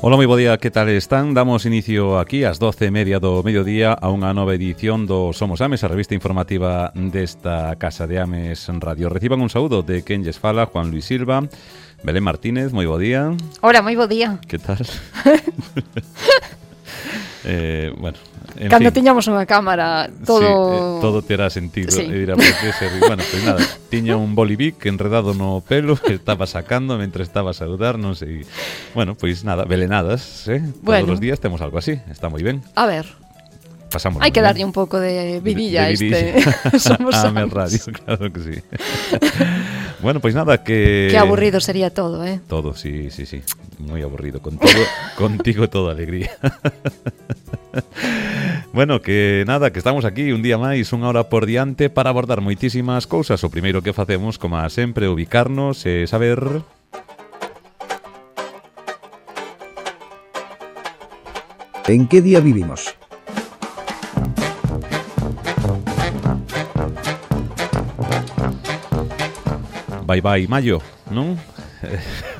Ola, moi bo día, que tal están? Damos inicio aquí ás 12:30 do mediodía a unha nova edición do Somos Ames, a revista informativa desta Casa de Ames Radio. Reciban un saúdo de quen lles fala, Juan Luis Silva. Belén Martínez, moi bo día. Hola, moi bo día. Que tal? Bueno, cando tiñamos unha cámara, todo... Sí, todo terá sentido. Sí. E dirá, por que ser... Bueno, pues nada, tiña un bolivic enredado no pelo que estaba sacando mentre estaba a saludar, non sei. Bueno, pois nada, belenadas, Bueno. Todos os días temos algo así, está moi ben. A ver, Pasámoslo, hai que ¿no? darlle un pouco de vidilla a De este. Somos Ames Radio, claro que sí. Bueno, pois nada, que... Que aburrido sería todo, Todo, sí. Moi aburrido. Contigo toda alegría. Bueno, que nada, que estamos aquí un día máis, unha hora por diante para abordar moitísimas cousas. O primeiro que facemos, como sempre, ubicarnos e saber... ¿En qué día vivimos? Bye maio, non?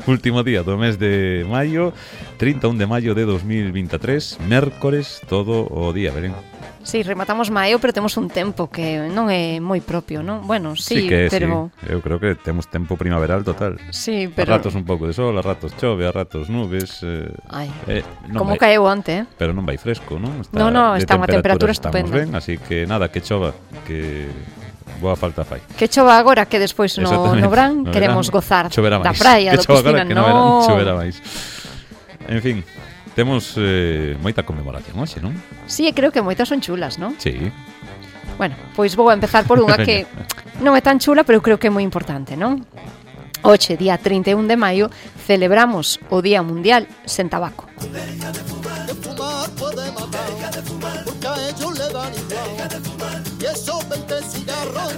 Último día do mes de maio, 31 de maio de 2023, mércores todo o día, verén. Sí, rematamos maio, pero temos un tempo que non é moi propio, non? Bueno, sí, que pero... sí. Eu creo que temos tempo primaveral total. Sí, A pero... ratos un pouco de sol, a ratos chove, a ratos nubes. Ai, non como vai, caeu onte, pero non vai fresco, non? No, está unha temperatura estamos estupenda. ben, así que nada, que chova, que boa falta fai. Que chova agora, que despois no verán queremos gozar choverá da máis. praia, da Que chova piscina, agora, que no verán, choverá máis. En fin, temos moita conmemoración hoxe, non? Sí, creo que moitas son chulas, non? Sí. Bueno, pois vou a empezar por unha que non é tan chula, pero creo que é moi importante, non? Hoxe, día 31 de maio, celebramos o Día Mundial sen tabaco. Deja de fumar puede matar, porque a ellos le dan igual. Y esos 20 cigarros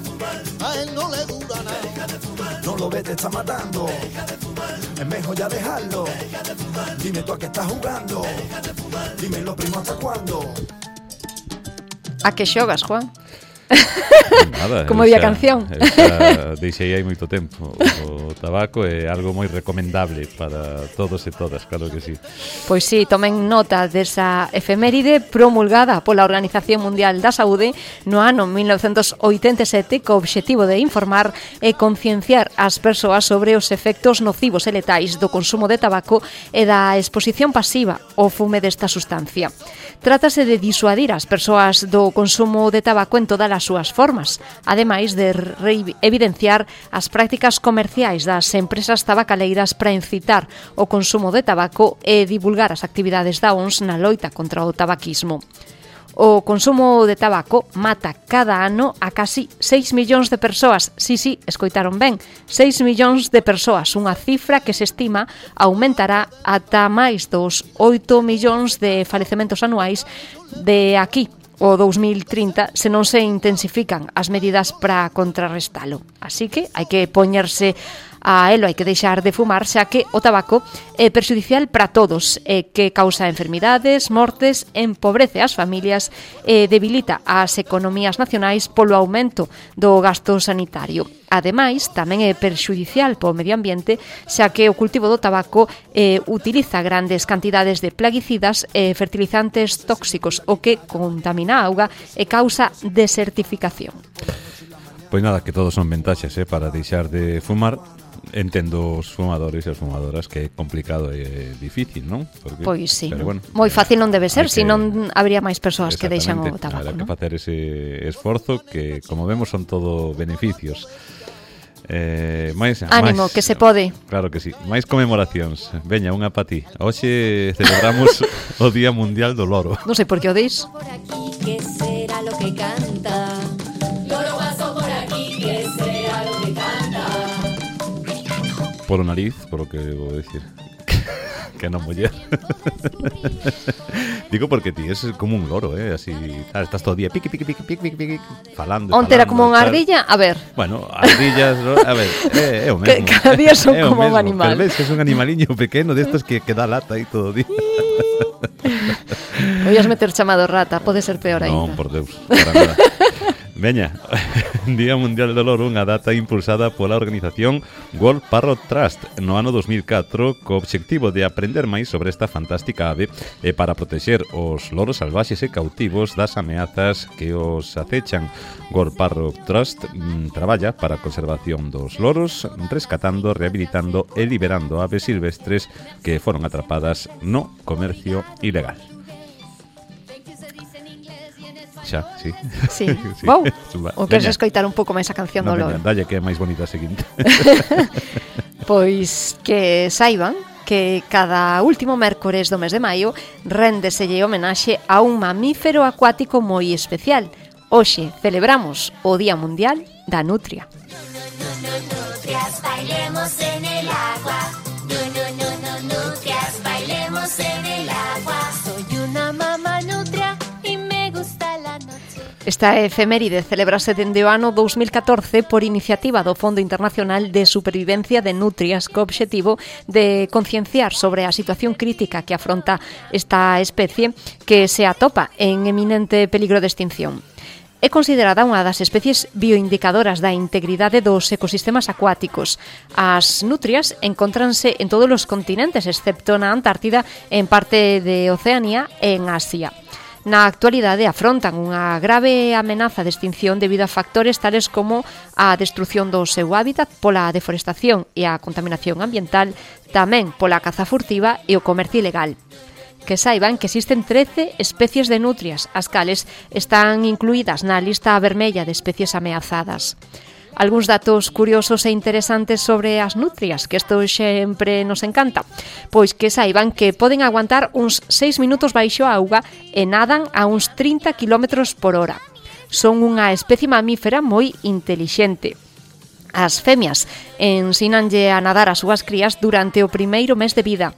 a él no le dura nada. No lo ves, te está matando. Es mejor ya dejarlo. Dime tú a qué estás jugando. Dime lo primo hasta cuándo. A que xogas, Juan? Nada, Como había canción. Deixei aí moito tempo. O tabaco é algo moi recomendable para todos e todas, claro que sí. Pois sí, tomen nota desa efeméride promulgada pola Organización Mundial da Saúde no ano 1987 co obxectivo de informar e concienciar as persoas sobre os efectos nocivos e letais do consumo de tabaco e da exposición pasiva ao fume desta sustancia. Trátase de disuadir as persoas do consumo de tabaco en todas as súas formas, ademais de evidenciar as prácticas comerciais das empresas tabacaleiras para incitar o consumo de tabaco e divulgar as actividades da OMS na loita contra o tabaquismo. O consumo de tabaco mata cada ano a casi 6 millóns de persoas. Sí, escoitaron ben, 6 millóns de persoas, unha cifra que se estima aumentará ata máis dos 8 millóns de falecementos anuais de aquí o 2030 se non se intensifican as medidas para contrarrestalo. Así que hai que poñerse a elo, hai que deixar de fumar, xa que o tabaco é perxudicial para todos, que causa enfermidades, mortes, empobrece as familias e debilita as economías nacionais polo aumento do gasto sanitario. Ademais, tamén é perxudicial para o medio ambiente, xa que o cultivo do tabaco utiliza grandes cantidades de plaguicidas e fertilizantes tóxicos, o que contamina a auga e causa desertificación. Pois nada, que todos son ventaxes para deixar de fumar. Entendo os fumadores e as fumadoras que é complicado e difícil, non? Porque, pois sí, bueno, moi fácil non debe ser, senón habría máis persoas que deixan o tabaco, habrá que non? facer ese esforzo que, como vemos, son todo beneficios. Ánimo, que se pode. Claro que sí. Máis conmemoracións. Veña, unha pa ti. Hoxe celebramos o Día Mundial do Loro. Non sei por que o deis. Por aquí, ¿qué será lo que canta? Loro paso por aquí, ¿qué será lo que canta? Polo nariz, polo que vou decir. Que non muller. Digo porque ti es como un loro, así, estás todo o día piqui, falando. Onte era como unha ardilla, a ver. Bueno, ardillas, a ver, é o mesmo. Cada día son como un animal. Pero ves que es un animaliño pequeno destos que dá lata aí todo o día. Oías meter chamado rata, pode ser peor aí. Non, por Deus, para nada. Veña, Día Mundial do Loro, unha data impulsada pola organización World Parrot Trust no ano 2004 co obxectivo de aprender máis sobre esta fantástica ave e para protexer os loros salvaxes e cautivos das ameazas que os acechan. World Parrot Trust traballa para a conservación dos loros, rescatando, rehabilitando e liberando aves silvestres que foron atrapadas no comercio ilegal. Xa, sí. Sí. Wow. O queres escoitar un pouco máis a canción do loro? Dalle que é máis bonita a seguinte. Pois que saiban que cada último mércores do mes de maio réndeselle homenaxe a un mamífero acuático moi especial. Hoxe celebramos o Día Mundial da Nutria. Nutrias, bailemos en el agua. Nutrias, bailemos en el agua. Soy una mamá nutria y me gusta la noche. Esta efeméride celebrase dende o ano 2014 por iniciativa do Fondo Internacional de Supervivencia de Nutrias co obxectivo de concienciar sobre a situación crítica que afronta esta especie que se atopa en eminente peligro de extinción. É considerada unha das especies bioindicadoras da integridade dos ecosistemas acuáticos. As nutrias encóntranse en todos os continentes, excepto na Antártida, en parte de Oceanía e en Asia. Na actualidade afrontan unha grave amenaza de extinción debido a factores tales como a destrucción do seu hábitat pola deforestación e a contaminación ambiental, tamén pola caza furtiva e o comercio ilegal. Que saiban que existen 13 especies de nutrias, as cales están incluídas na lista vermella de especies ameazadas. Algúns datos curiosos e interesantes sobre as nutrias, que isto sempre nos encanta. Pois que saiban que poden aguantar uns 6 minutos baixo a auga e nadan a uns 30 km por hora. Son unha especie mamífera moi intelixente. As femias ensínanlle a nadar as súas crías durante o primeiro mes de vida.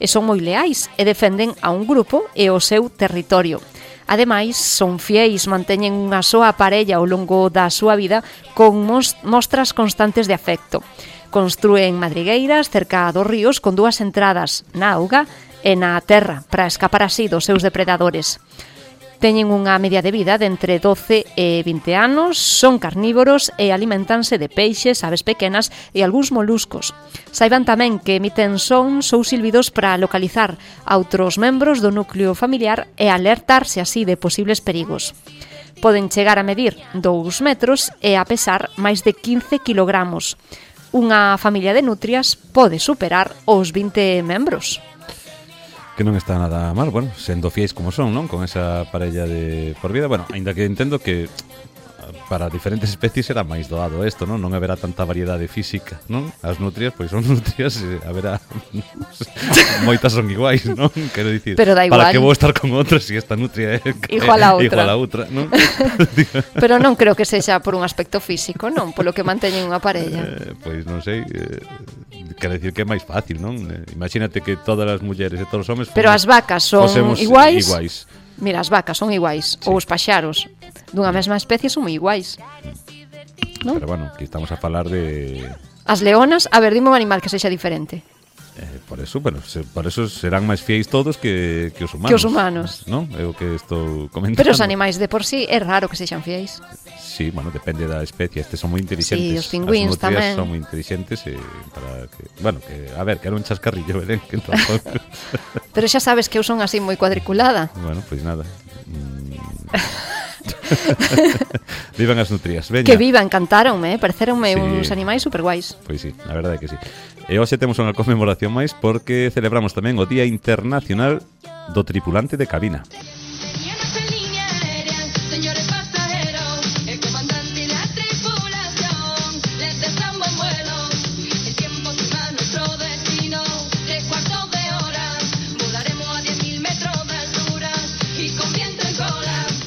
E son moi leais e defenden a un grupo e o seu territorio. Ademais, son fieis, manteñen unha soa parella ao longo da súa vida con mostras constantes de afecto. Construen madrigueiras cerca dos ríos con 2 entradas, na auga e na terra, para escapar así dos seus depredadores. Teñen unha media de vida de entre 12 e 20 anos, son carnívoros e alimentanse de peixes, aves pequenas e algúns moluscos. Saiban tamén que emiten sons ou silbidos para localizar a outros membros do núcleo familiar e alertarse así de posibles perigos. Poden chegar a medir 2 metros e a pesar máis de 15 kilogramos. Unha familia de nutrias pode superar os 20 membros. Que non está nada mal, bueno, sendo fiéis como son, non? Con esa parella de por vida, bueno, aínda que entendo que para diferentes especies será máis doado isto, non? Non haberá tanta variedade física, non? As nutrias, pois son nutrias, haberá moitas son iguais, non? Quero dicir, pero da igual. Para que vou estar con outra se esta nutria é igual a outra, non? Pero non creo que sexa por un aspecto físico, non? Polo que manteñen unha parella. Pois non sei, quero dicir que é máis fácil, non? Imagínate que todas as mulleres e todos os homes pero as vacas son iguais. Mira, as vacas son iguais, sí. Ou os paxaros dunha mesma especie son moi iguais, non? Pero bueno, aquí estamos a falar de... As leonas, a ver, dime un animal que sexa diferente. Por eso, bueno, por eso serán máis fiéis todos que os humanos. Que os humanos. Non? É o que estou comentando. Pero os animais de por sí é raro que sexan fiéis. Sí, bueno, depende da especie. Estes son moi inteligentes. Sí, os pingüíns tamén. Son moi inteligentes para que, bueno, que a ver, que era un chascarrillo, Belén, que tampouco. Pero xa sabes que eu son así moi cuadriculada. Bueno, pois nada. Vivan as nutrias, veña. Que vivan, cantáronme, pareceronme sí. Uns animais superguais. Pois sí, a verdade é que sí. E hoxe temos unha conmemoración máis porque celebramos tamén o Día Internacional do Tripulante de Cabina.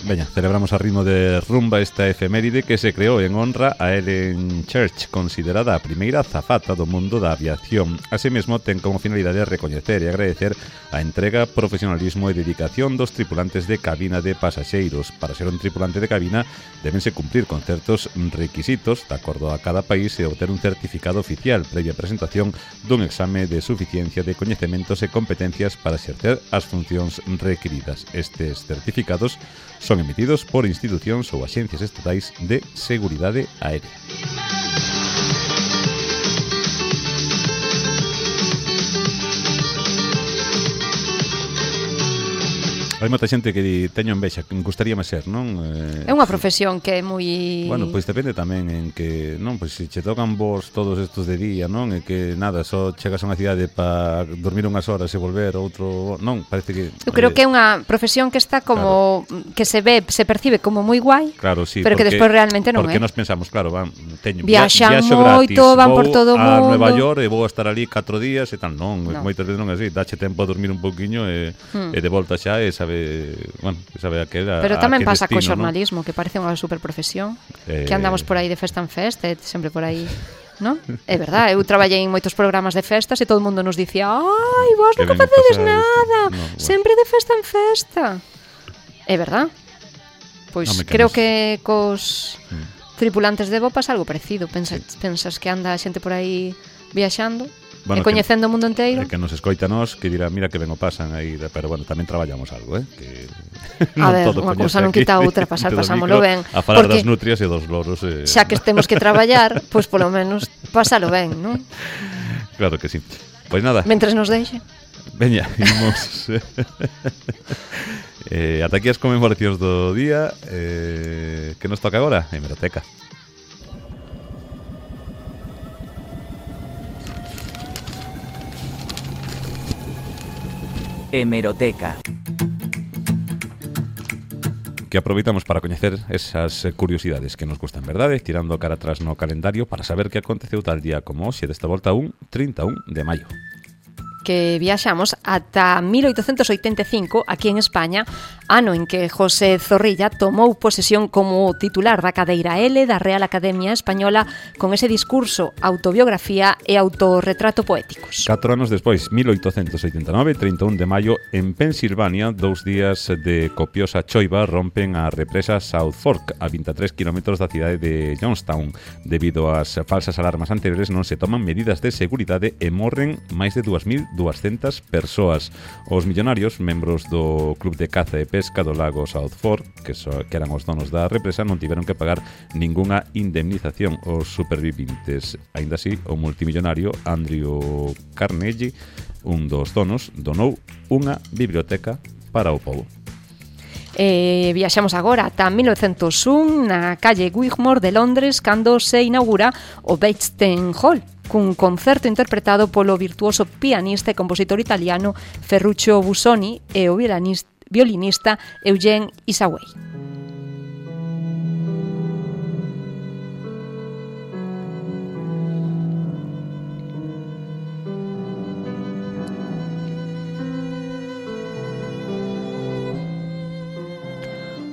Veña, celebramos a ritmo de rumba esta efeméride que se creou en honra a Ellen Church, considerada a primeira azafata do mundo da aviación. Así mesmo, ten como finalidade recoñecer e agradecer a entrega, profesionalismo e dedicación dos tripulantes de cabina de pasaxeiros. Para ser un tripulante de cabina, débense cumprir con certos requisitos, de acordo a cada país, e obter un certificado oficial previa presentación dun exame de suficiencia de coñecementos e competencias para exercer as funcións requiridas. Estes certificados son Son emitidos por institucións ou axencias estatais de seguridade aérea. Hai moita xente que di, teño envexa, que gustaríame ser, non? É unha profesión que é moi... Bueno, pois depende tamén en que, non, pois se che tocan vos todos estos de día, non? E que nada, só chegas a unha cidade para dormir unhas horas e volver outro, non, parece que... Eu creo que é unha profesión que está como que se percibe como moi guai. Claro, sí, pero que despois realmente non porque é. Porque nos pensamos, claro, viaxan viaxo moito, gratis, van por todo o mundo. mundo. A Nueva York e vou a estar ali 4 días e tal, non, moitas veces non é así, dache tempo a dormir un poquinho e de volta xa e sabe a que era. Pero tamén pasa co destino, xornalismo, ¿no? Que parece unha superprofesión, que andamos por aí de festa en festa, sempre por aí, ¿no? É verdad, eu traballei en moitos programas de festas e todo o mundo nos dicía, ai, vos non facedes nada, sempre de festa en festa. É verdad? Pois creo que cos tripulantes de Bo pasa algo parecido. Pensas que anda a xente por aí viaxando e coñecendo o mundo inteiro. Que nos escoita nos, que dirá, mira que ben o pasan aí, pero bueno, tamén traballamos algo, que a ver, unha cousa non quita outra, pasámolo ben. A falar das nutrias e dos loros. Xa que temos que traballar, pois polo menos pásalo ben, non? Claro que sí. Pois nada. Mentres nos deixe. Veña, imos. Ata aquí as conmemoracións do día. Que nos toca agora? Hemeroteca. Hemeroteca. Que aproveitamos para coñecer esas curiosidades que nos gustan, verdade? Tirando cara atrás no calendario para saber que aconteceu tal día como hoxe, desta volta un 31 de maio. Que viaxamos ata 1885 aquí en España, ano en que José Zorrilla tomou posesión como titular da cadeira L da Real Academia Española con ese discurso, autobiografía e autorretrato poéticos. 4 anos despois, 1889, 31 de maio, en Pensilvania, 2 días de copiosa choiva rompen a represa South Fork, a 23 km da cidade de Johnstown. Debido ás falsas alarmas anteriores non se toman medidas de seguridade e morren máis de 2.200 persoas. Os millonarios, membros do Club de Caza e Pesca do lago South Fork, que eran os donos da represa, non tiveron que pagar ningunha indemnización aos supervivintes. Aínda así, o multimillonario Andrew Carnegie, un dos donos, donou unha biblioteca para o pobo. Viaxamos agora ata 1901 na calle Wigmore de Londres cando se inaugura o Bechstein Hall cun concerto interpretado polo virtuoso pianista e compositor italiano Ferruccio Busoni e o violinista Eugene Isaway.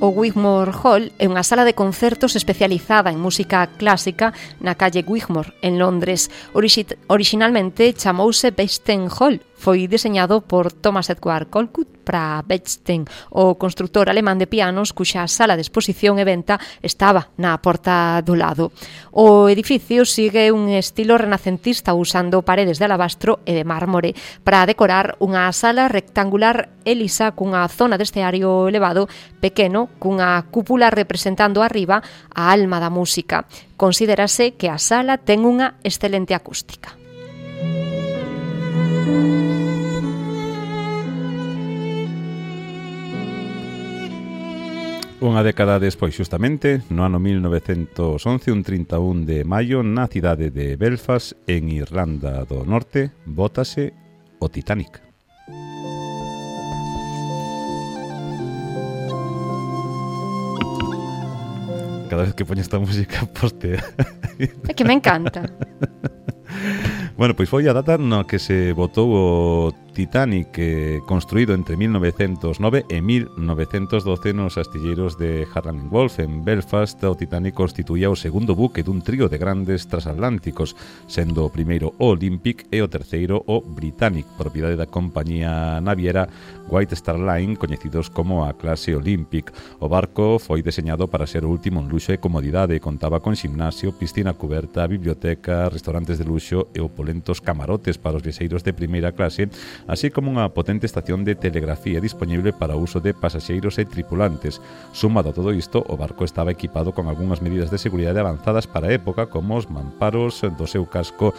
O Wigmore Hall é unha sala de concertos especializada en música clásica na calle Wigmore, en Londres. Originalmente chamouse Bechstein Hall. Foi diseñado por Thomas Edward Colcutt para Bechstein, o constructor alemán de pianos cuxa sala de exposición e venta estaba na porta do lado. O edificio sigue un estilo renacentista usando paredes de alabastro e de mármore para decorar unha sala rectangular e lisa cunha zona de esteario elevado pequeno cunha cúpula representando arriba a alma da música. Considérase que a sala ten unha excelente acústica. Unha década despois, xustamente, no ano 1911, un 31 de maio, na cidade de Belfast, en Irlanda do Norte, bótase o Titanic. Cada vez que poño esta música, postea. É que me encanta. Bueno, pois foi a data no que se botou o Titanic, construído entre 1909 e 1912 nos astilleiros de Harland & Wolff en Belfast. O Titanic constituía o segundo buque dun trío de grandes transatlánticos, sendo o primeiro o Olympic e o terceiro o Britannic, propiedade da compañía naviera White Star Line, coñecidos como a clase Olympic. O barco foi deseñado para ser o último en luxo e comodidade, contaba con ximnasio, piscina cuberta, biblioteca, restaurantes de luxo e opolentos camarotes para os viaxeiros de primeira clase, así como unha potente estación de telegrafía disponible para o uso de pasaxeiros e tripulantes. Sumado a todo isto, o barco estaba equipado con algunhas medidas de seguridade avanzadas para a época, como os mamparos do seu casco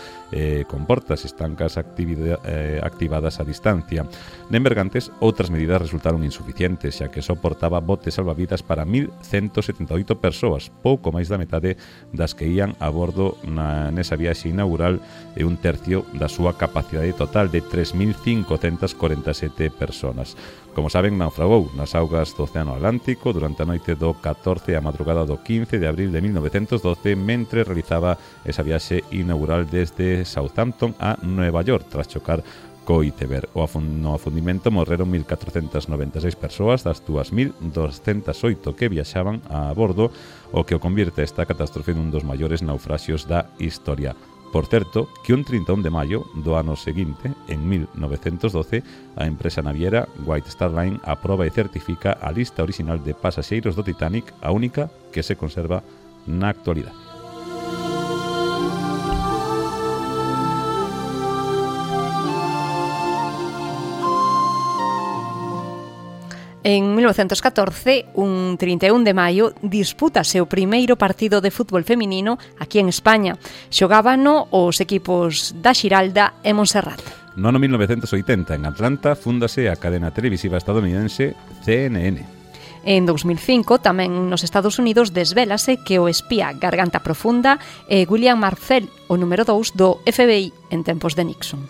con portas estancas activadas a distancia. En Bergantes, outras medidas resultaron insuficientes, xa que soportaba botes salvavidas para 1.178 persoas, pouco máis da metade das que ían a bordo nesa viaxe inaugural e un tercio da súa capacidade total de 3.547 personas. Como saben, naufragou nas augas do Océano Atlántico durante a noite do 14 e a madrugada do 15 de abril de 1912, mentre realizaba esa viaxe inaugural desde Southampton a Nueva York, tras chocar co iceberg. No afundimento morreron 1.496 persoas das 2.208 que viaxaban a bordo, o que o convierte esta catástrofe nun dos maiores naufraxios da historia. Por certo, que un 31 de maio do ano seguinte, en 1912, a empresa naviera White Star Line aproba e certifica a lista orixinal de pasaxeiros do Titanic, a única que se conserva na actualidade. En 1914, un 31 de maio, dispútase o primeiro partido de fútbol feminino aquí en España. Xogábano os equipos da Xiralda e Montserrat. No ano 1980, en Atlanta, fúndase a cadena televisiva estadounidense CNN. En 2005, tamén nos Estados Unidos, desvélase que o espía Garganta Profunda é William Marcel, o número 2 do FBI en tempos de Nixon.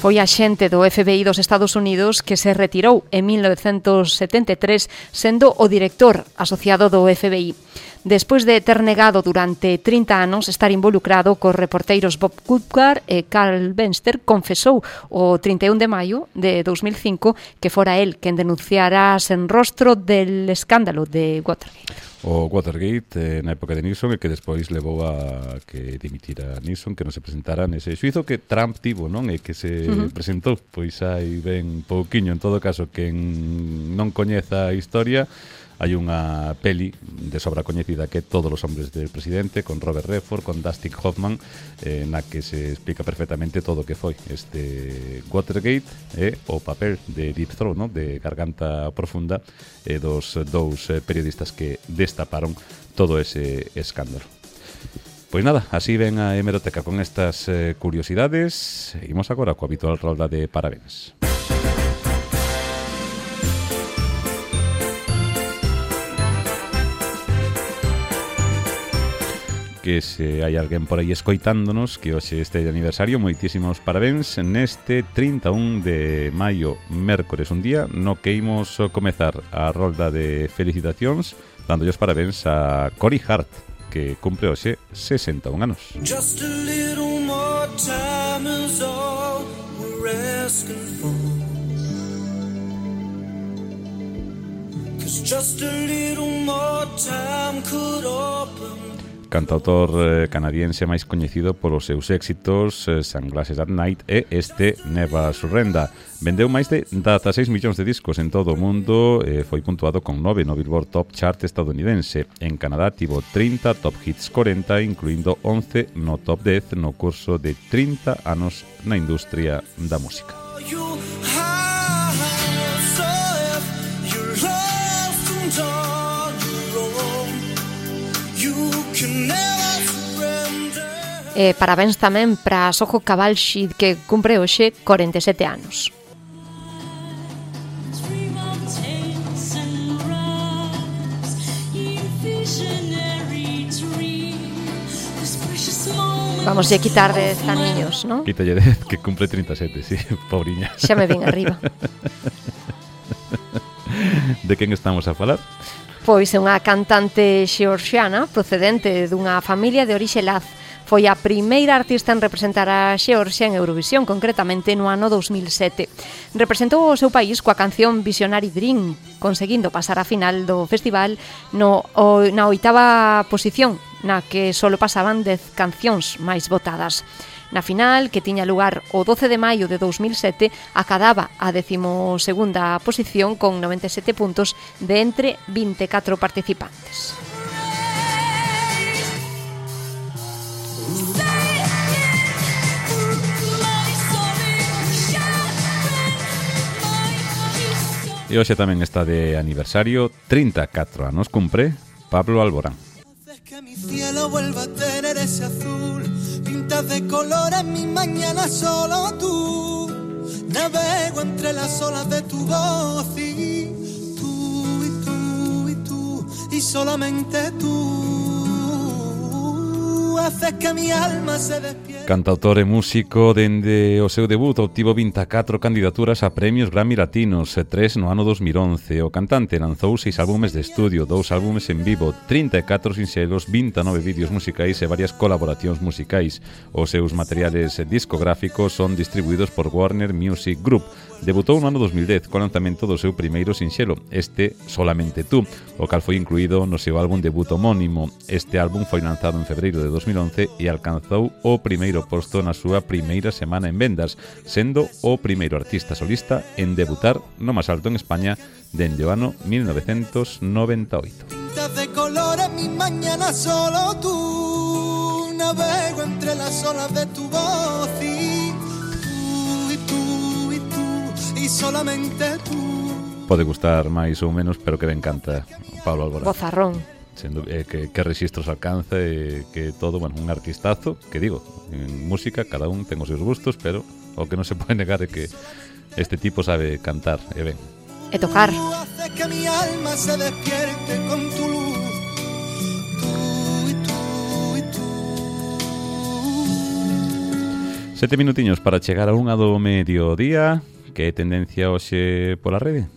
Foi a xente do FBI dos Estados Unidos que se retirou en 1973 sendo o director asociado do FBI. Despois de ter negado durante 30 anos estar involucrado cos reporteiros Bob Woodward e Carl Benster, confesou o 31 de maio de 2005 que fora el quen denunciara sen rostro del escándalo de Watergate. O Watergate na época de Nixon, e que despois levou a que dimitira Nixon, que non se presentara nese xuizo que Trump tivo, non? E que se presentou, pois hai ben pouquiño. En todo caso, quen non coñeza a historia, hai unha peli de sobra coñecida que é Todos os hombres del presidente, con Robert Redford, con Dustin Hoffman, na que se explica perfectamente todo o que foi este Watergate e o papel de Deep Throat, no? De Garganta Profunda, e dos dous periodistas que destaparon todo ese escándalo. Pois nada, así ven a hemeroteca con estas curiosidades. Seguimos agora coa habitual rolda de parabéns. Que se hai alguén por aí escoitándonos que hoxe este de aniversario, moitísimos parabéns neste 31 de maio, mércores, un día no que imos comezar a rolda de felicitacións dándolle os parabéns a Cory Hart, que cumpre hoxe 61 anos. Just a little more time is all we're asking for. 'Cause just a little more time could open. Cantautor canadiense máis coñecido polos seus éxitos Sunglasses at Night e este Never Surrender. Vendeu máis de 16 millóns de discos en todo o mundo e foi puntuado con 9 no Billboard Top Chart estadounidense. En Canadá tivo 30 Top Hits 40, incluindo 11 no Top 10 no curso de 30 anos na industria da música. Parabéns tamén para Soho Cavalcci, que cumpre hoxe 47 anos. Vamos a quitar 10 aniños, non? Quítalle 10, que cumple 37, sí, pobriña. Xa me vin arriba. De quen estamos a falar? Pois é unha cantante xeorxiana procedente dunha familia de orixe laz. Foi a primeira artista en representar a Xeorxia en Eurovisión, concretamente no ano 2007. Representou o seu país coa canción Visionary Dream, conseguindo pasar a final do festival na 8ª posición na que solo pasaban 10 cancións máis votadas. Na final, que tiña lugar o 12 de maio de 2007, acadaba a 12ª posición con 97 puntos de entre 24 participantes. E hoxe tamén está de aniversario, 34 anos cumpre Pablo Alborán. Haces que mi cielo vuelva a tener ese azul, pintas de colores mi mañana solo tú. Navego entre las olas de tu voz y tú, y tú, y tú, y solamente tú. Haces que mi alma se despierte. Cantautor e músico, dende o seu debut obtivo 24 candidaturas a premios Grammy Latinos, 3 no ano 2011. O cantante lanzou 6 álbumes de estudio, 2 álbumes en vivo, 34 sinxelos, 29 vídeos musicais e varias colaboracións musicais. Os seus materiales discográficos son distribuídos por Warner Music Group. Debutou no ano 2010 co lanzamento do seu primeiro sinxelo, este Solamente Tú, o cal foi incluído no seu álbum debut homónimo. Este álbum foi lanzado en febreiro de 2011 e alcanzou o primeiro posto na súa primeira semana en vendas, sendo o primeiro artista solista en debutar no máis alto en España dende o ano 1998. Pintas de colores mi mañana solo tú. Navego entre las olas de tu voz y tú, y tú, y tú, y solamente tú. Pode gustar máis ou menos, pero que ben canta Pablo Alborán. Bozarrón. Sendo, que registros alcanza e que todo, bueno, un artistazo, que digo, en música cada un ten os seus gustos, pero o que non se pode negar é que este tipo sabe cantar e ben. E tocar. Tú haces que mi alma se despierte con tu luz. Tú y tú y tú. 7 minutiños para chegar a 1 do mediodía. Que é tendencia hoxe pola rede?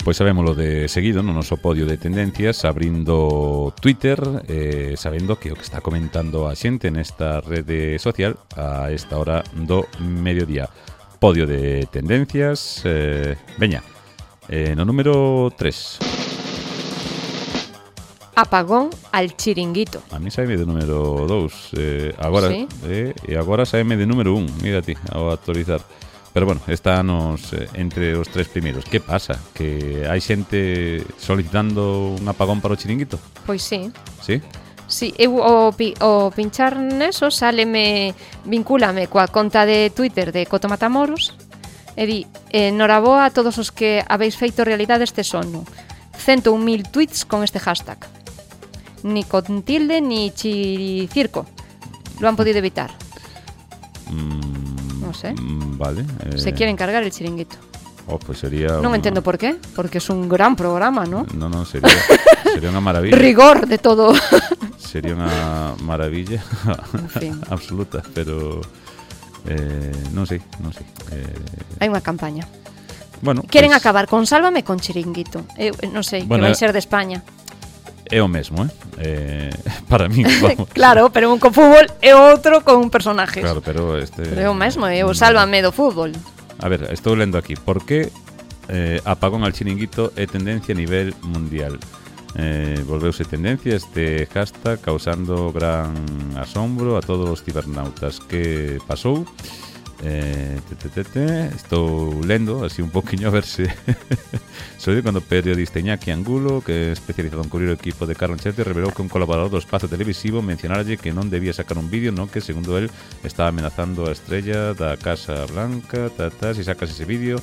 Pois sabémolo de seguido no noso podio de tendencias, abrindo Twitter, sabendo que o que está comentando a xente nesta rede social a esta hora do mediodía. Podio de tendencias, veña, no número 3. Apagón al chiringuito. A mí saime de número 2, agora, Sí. E agora saime de número 1, mira ti, ao actualizar. Pero bueno, estános entre os 3 primeiros. Que pasa? Que hai xente solicitando un apagón para o chiringuito? Pois sí. Sí? Sí, eu o pinchar neso vincúlame coa conta de Twitter de Coto Matamoros e di, noraboa a todos os que habéis feito realidade este sono. 101.000 tweets con este hashtag. Ni con tilde ni chiricirco. Lo han podido evitar. No sé. Vale. Se quieren cargar el chiringuito. Pues sería... Non entendo por qué, porque es un gran programa, ¿no? No, sería unha maravilla. Rigor de todo. Sería unha maravilla En fin. absoluta, pero non sei. Hai unha campaña. Bueno, Queren pues, acabar con Sálvame con chiringuito. Eu non sei, Bueno, que vai ser de España. é o mesmo, para mí, vamos. Claro, pero un con fútbol e outro con personajes. Claro, pero este... Pero é o mesmo, é o Sálvame do fútbol. A ver, estou lendo aquí. Por que apagón al chiringuito é tendencia a nivel mundial? Volveuse tendencia este hashtag causando gran asombro a todos os cibernautas. Que pasou? Estou lendo así un poquinho a ver se soy cando o periodista Iñaki Angulo, que é especializado en cubrir o equipo de Carlo Ancelotti, revelou que un colaborador do espazo televisivo mencionarlle que non debía sacar un vídeo no que, segundo él, estaba amenazando a estrella da Casa Blanca. Si sacas ese vídeo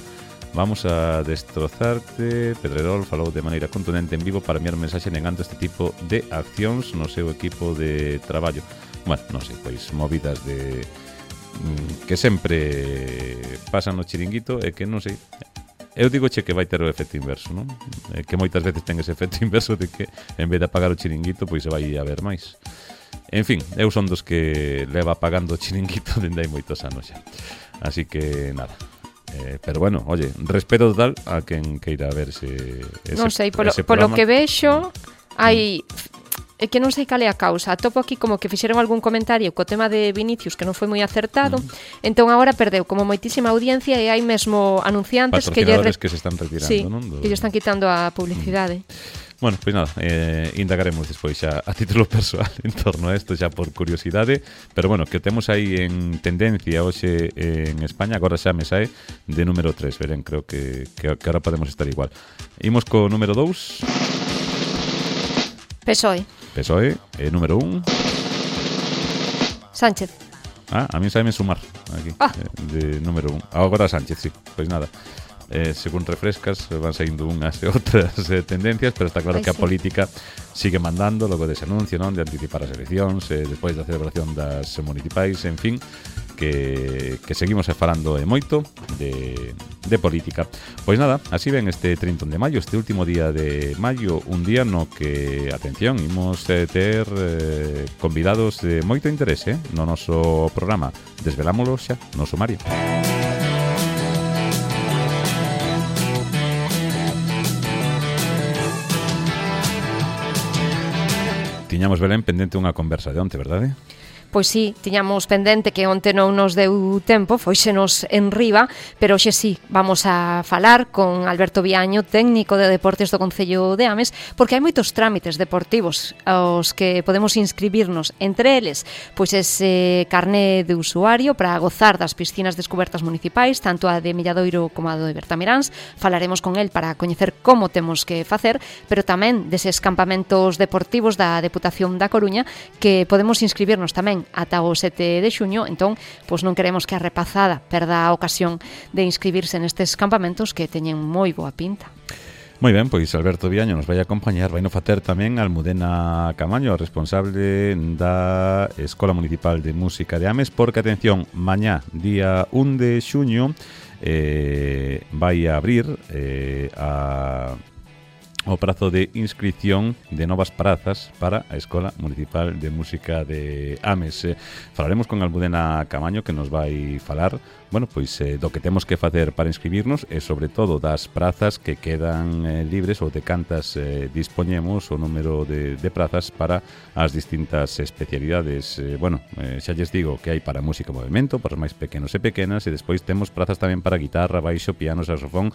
vamos a destrozarte. Pedrerol falou de maneira contundente en vivo para enviar un mensaxe negando este tipo de accións no seu equipo de traballo. Bueno, non sei, pois movidas de que sempre pasan no chiringuito e que non sei. Eu digo che que vai ter o efecto inverso, non? Que moitas veces ten ese efecto inverso de que en vez de apagar o chiringuito pois se vai a ver máis. En fin, eu son dos que leva apagando o chiringuito dende hai moitos anos xa. Así que nada. Pero bueno, oye, respeto total a quen queira ver ese Non sei, polo programa. que vexo hai é que non sei cal é a causa. Atopo aquí como que fixeron algún comentario co tema de Vinicius que non foi moi acertado, entón agora perdeu como moitísima audiencia e hai mesmo anunciantes que que se están retirando, sí, non? Que lle están quitando a publicidade. Bueno, pois nada, indagaremos despois xa a título persoal en torno a isto, xa por curiosidade, pero bueno, que temos aí en tendencia hoxe en España, agora xa me sae de número 3, verén, creo que ahora podemos estar igual. Imos co número 2. PSOE, número 1. Sánchez. A mí saime sumar aquí, de número 1. Agora Sánchez, sí, pois nada. Según refrescas van saindo unhas e outras tendencias, pero está claro que a política sigue mandando logo dese anuncio, non, de anticipar as eleccións, despois da celebración das municipais, en fin, que seguimos falando moito de política. Pois nada, así ven este 30 de maio, este último día de maio, un día no que, atención, imos ter convidados de moito interese no noso programa. Desvelámoslo xa no sumario. Tiñamos, Belén, pendente unha conversa de onte, verdade? Pois sí, tiñamos pendente que onte non nos deu tempo, foixenos en riba, pero hoxe sí, vamos a falar con Alberto Viaño, técnico de deportes do Concello de Ames, porque hai moitos trámites deportivos aos que podemos inscribirnos, entre eles, pois ese carné de usuario para gozar das piscinas descubertas municipais, tanto a de Milladoiro como a de Bertamiráns. Falaremos con el para coñecer como temos que facer, pero tamén deses campamentos deportivos da Deputación da Coruña, que podemos inscribirnos tamén ata o 7 de xuño, entón, pois non queremos que a repazada perda a ocasión de inscribirse nestes campamentos que teñen moi boa pinta. Moi ben, pois Alberto Viaño nos vai acompañar, vai no facer tamén Almudena Camaño, responsable da Escola Municipal de Música de Ames, porque, atención, mañá, día 1 de xuño, vai a abrir o prazo de inscripción de novas prazas para a Escola Municipal de Música de Ames. Falaremos con Almudena Camaño, que nos vai falar, bueno, pois do que temos que facer para inscribirnos e sobre todo das prazas que quedan libres ou de cantas dispoñemos o número de prazas para as distintas especialidades. Bueno, xa lles digo que hai para música e movimento, para os máis pequenos e pequenas, e despois temos prazas tamén para guitarra, baixo, piano, saxofón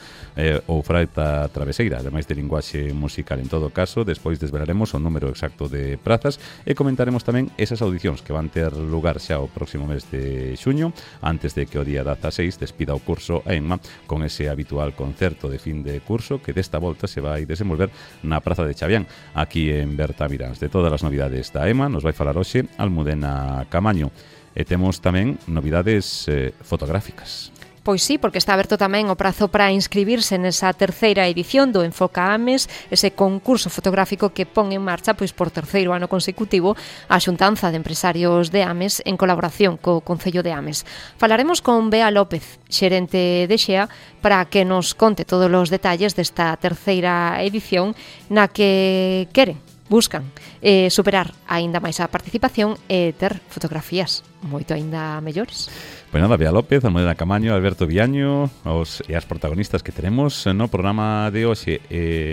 ou flauta traveseira, ademais de linguaxe musical. En todo caso, despois desvelaremos o número exacto de prazas e comentaremos tamén esas audicións que van ter lugar xa o próximo mes de xuño, antes de que o día 16 despida o curso a ENMA con ese habitual concerto de fin de curso que desta volta se vai desenvolver na Praza de Chavián, aquí en Bertamiráns. De todas as novidades da EMA nos vai falar hoxe Almudena Camaño, e temos tamén novidades fotográficas. Pois sí, porque está aberto tamén o prazo para inscribirse nesa terceira edición do Enfoca Ames, ese concurso fotográfico que pon en marcha pois por terceiro ano consecutivo a Xuntanza de Empresarios de Ames en colaboración co Concello de Ames. Falaremos con Bea López, xerente de XEA, para que nos conte todos os detalles desta terceira edición na que buscan superar aínda máis a participación e ter fotografías moito aínda mellores. Pois nada, Bea López, Almudena Camaño, Alberto Viaño, e as protagonistas que tenemos no programa de hoxe.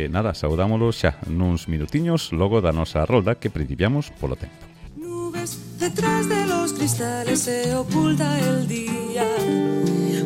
Nada, saudámoslos xa nuns minutiños logo da nosa rolda que principiamos polo tempo. Nubes detrás de los cristales se oculta el día,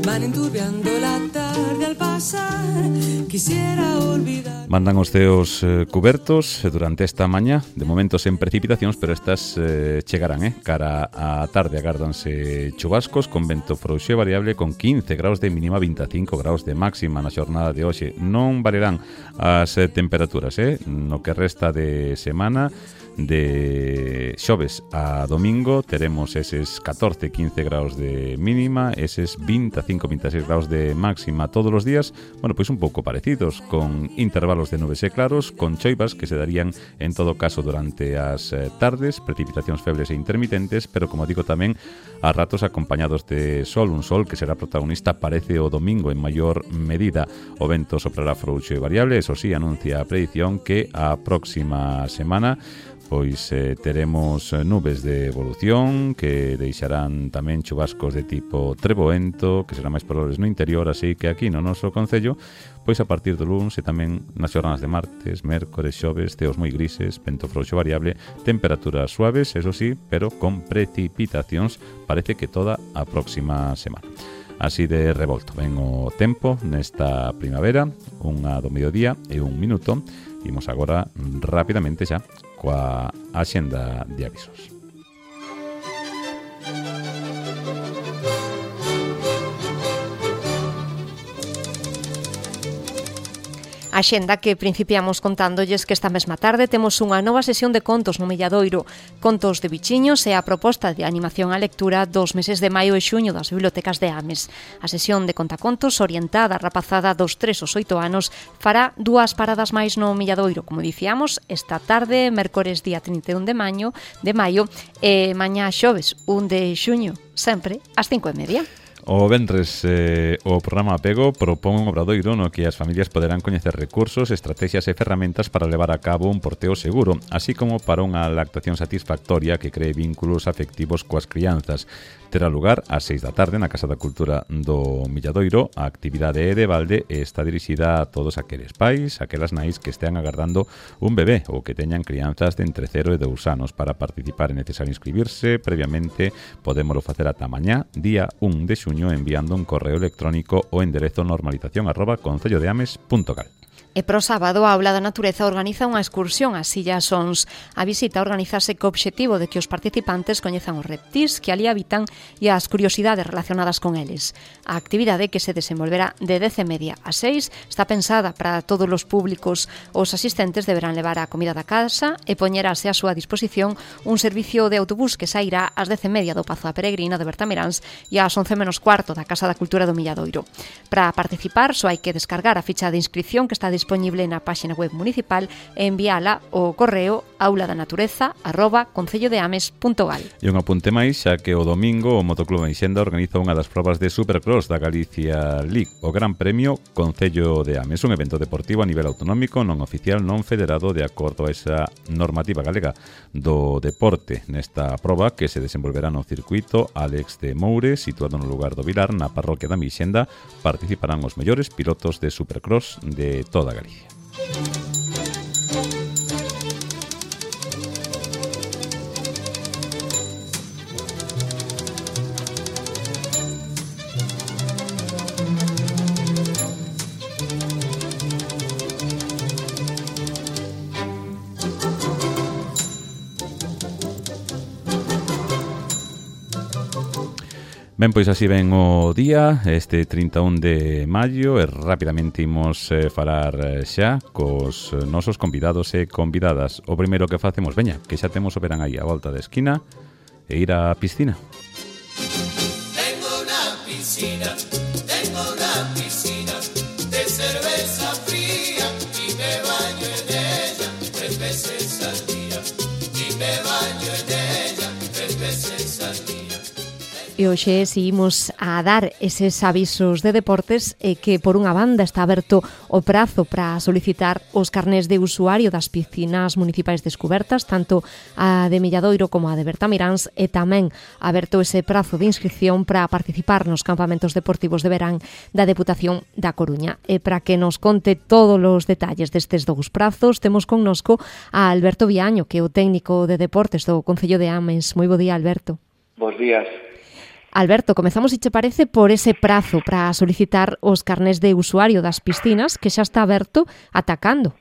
van enturbiando la tarde al pasar, quisiera olvidar. Mandan os ceos cubertos durante esta mañá, de momento sen precipitacións, pero estas chegarán, cara á tarde agárdanse chubascos con vento frouxo e variable con 15 graus de mínima, 25 graus de máxima na xornada de hoxe. Non valerán as temperaturas, no que resta de semana. De xoves a domingo teremos eses 14-15 graus de mínima, eses 25-26 graus de máxima todos os días, bueno, pois un pouco parecidos, con intervalos de nubes e claros, con choivas que se darían en todo caso durante as tardes, precipitacións febles e intermitentes, pero como digo tamén a ratos acompañados de sol, un sol que será protagonista parece o domingo en maior medida. O vento soprará frouxo e variable, eso sí, anuncia a predición que a próxima semana pois teremos nubes de evolución que deixarán tamén chubascos de tipo treboento, que serán máis probables no interior, así que aquí no noso concello, pois a partir do luns e tamén nas xornadas de martes, mércores, xoves, ceos moi grises, vento frouxo variable, temperaturas suaves, eso sí, pero con precipitacións, parece que toda a próxima semana. Así de revolto ven o tempo nesta primavera, unha do mediodía e un minuto. Imos agora rapidamente xa coa axenda de avisos. A xenda que principiamos contándolles que esta mesma tarde temos unha nova sesión de contos no Milladoiro, Contos de Bichiños e a proposta de animación á lectura dos meses de maio e xuño das bibliotecas de Ames. A sesión de contacontos orientada a rapazada dos 3 aos 8 anos fará 2 paradas máis no Milladoiro, como dicíamos, esta tarde, mércores día 31 de maio e mañá xoves 1 de xuño, sempre ás 5:30. O venres o programa Apego propón un obradoiro no que as familias poderán coñecer recursos, estrategias e ferramentas para levar a cabo un porteo seguro, así como para unha lactación satisfactoria que cree vínculos afectivos coas crianzas. Terá lugar ás 6 da tarde na Casa da Cultura do Milladoiro. A actividade é de balde e está dirixida a todos aqueles pais, aquelas nais que estean agardando un bebé ou que teñan crianzas de entre 0 e 2 anos. Para participar é necesario inscribirse previamente. Podémolo facer ata mañá, día 1 de xuño, enviando un correo electrónico ao enderezo normalización@concellodeames.gal. E pro sábado a Aula da Natureza organiza unha excursión ás Illas Ons. A visita organizase co obxectivo de que os participantes coñezan os reptís que ali habitan e as curiosidades relacionadas con eles. A actividade, que se desenvolverá de 10:30 a 6, está pensada para todos os públicos. Os asistentes deberán levar a comida da casa e poñerase a súa disposición un servicio de autobús que sairá ás 10:30 do Pazo da Peregrina de Bertamiráns e ás 11:15 da Casa da Cultura do Milladoiro. Para participar só hai que descargar a ficha de inscripción que está disponible na páxina web municipal e enviala ao correo aulaDanatureza@concellodeames.gal. E un apunte máis, xa que o domingo o Motoclub Enxenda organiza unha das probas de Supercross da Galicia League, o Gran Premio Concello de Ames, un evento deportivo a nivel autonómico, non oficial, non federado, de acordo a esa normativa galega do deporte. Nesta proba, que se desenvolverá no circuito Alex de Moure, situado no lugar do Vilar, na parroquia da Mixenda, participarán os mellores pilotos de Supercross de toda Galicia. Ben, pois así ven o día, este 31 de maio, e rapidamente imos falar xa cos nosos convidados e convidadas. O primeiro que facemos, veña, que xa temos o verán aí a volta da esquina, e ir á piscina. Tengo una piscina de cerveza fría y me baño en ella 3 veces al día. E hoxe seguimos a dar eses avisos de deportes e que por unha banda está aberto o prazo para solicitar os carnés de usuario das piscinas municipais descubertas, tanto a de Milladoiro como a de Bertamiráns, e tamén aberto ese prazo de inscripción para participar nos campamentos deportivos de verán da Deputación da Coruña. E para que nos conte todos os detalles destes dous prazos, temos connosco a Alberto Viaño, que é o técnico de deportes do Concello de Ames. Moi bo día, Alberto. Bos días. Alberto, comezamos, se che parece, por ese prazo para solicitar os carnés de usuario das piscinas, que xa está aberto ata cando?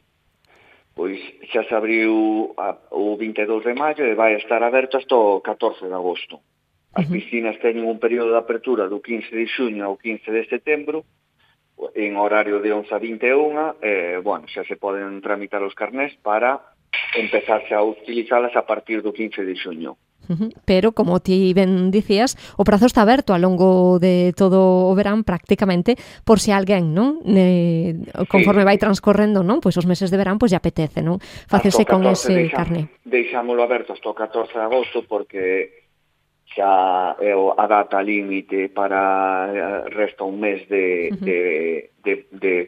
Pois xa se abriu o 22 de maio e vai estar aberto hasta o 14 de agosto. As piscinas teñen un período de apertura do 15 de xuño ao 15 de setembro, en horario de 11 a 21, bueno, xa se poden tramitar os carnés para empezarse a utilizalas a partir do 15 de xuño. Pero, como ti ben dicías, o prazo está aberto ao longo de todo o verán prácticamente, por se alguén, non? Conforme vai transcorrendo, non? Pois os meses de verán, pois lle apetece, non? Facerse con ese carné. Deixámolo aberto hasta o 14 de agosto porque xa é a data límite para resta un mes de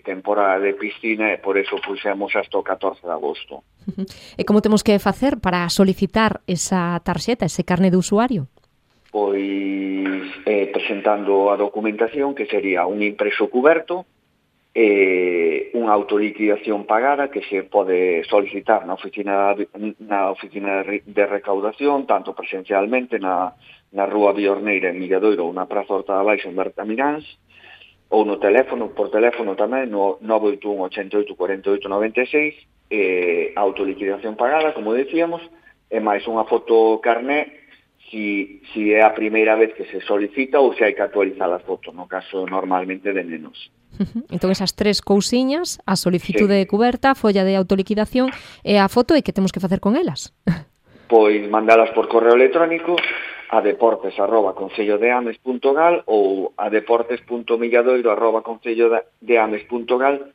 temporada de piscina e por eso puxemos hasta o 14 de agosto. E como temos que facer para solicitar esa tarxeta, ese carné de usuario? Pois presentando a documentación, que sería un impreso cuberto, unha autoliquidación pagada que se pode solicitar na oficina de recaudación, tanto presencialmente na Rúa Biorneira en Milladoiro ou na Praza Horta da Baixa en Bertamiráns, ou no teléfono, por teléfono tamén, no 981 88 48 96, autoliquidación pagada, como decíamos, e máis unha foto carné si é a primeira vez que se solicita ou se hai que actualizar a foto, no caso normalmente de nenos. Entón esas tres cousiñas, a solicitude cuberta, a folla de autoliquidación e a foto, e que temos que facer con elas? Pois mandalas por correo electrónico a deportes@concellodeames.gal ou a deportes.milladoiro@concellodeames.gal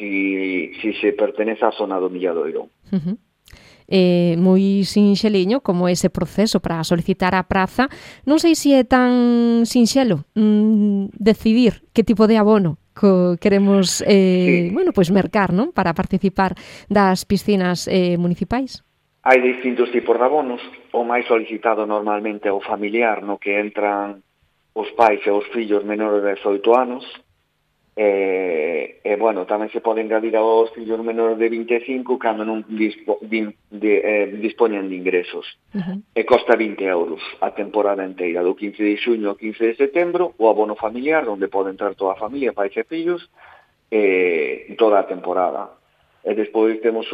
si se pertenece á zona do Milladoiro. Moi sinxeliño como ese proceso para solicitar a praza. Non sei se é tan sinxelo decidir que tipo de abono queremos mercar, non? Para participar das piscinas municipais. Hai distintos tipos de abonos. O máis solicitado normalmente é o familiar, no que entran os pais e os fillos menores de 18 anos. Tamén se pode engadir aos fillos menores de 25 cando non dispoñen de ingresos. E costa 20 euros a temporada inteira, do 15 de xuño ao 15 de setembro, o abono familiar, onde pode entrar toda a familia, pais e fillos, toda a temporada. E despois temos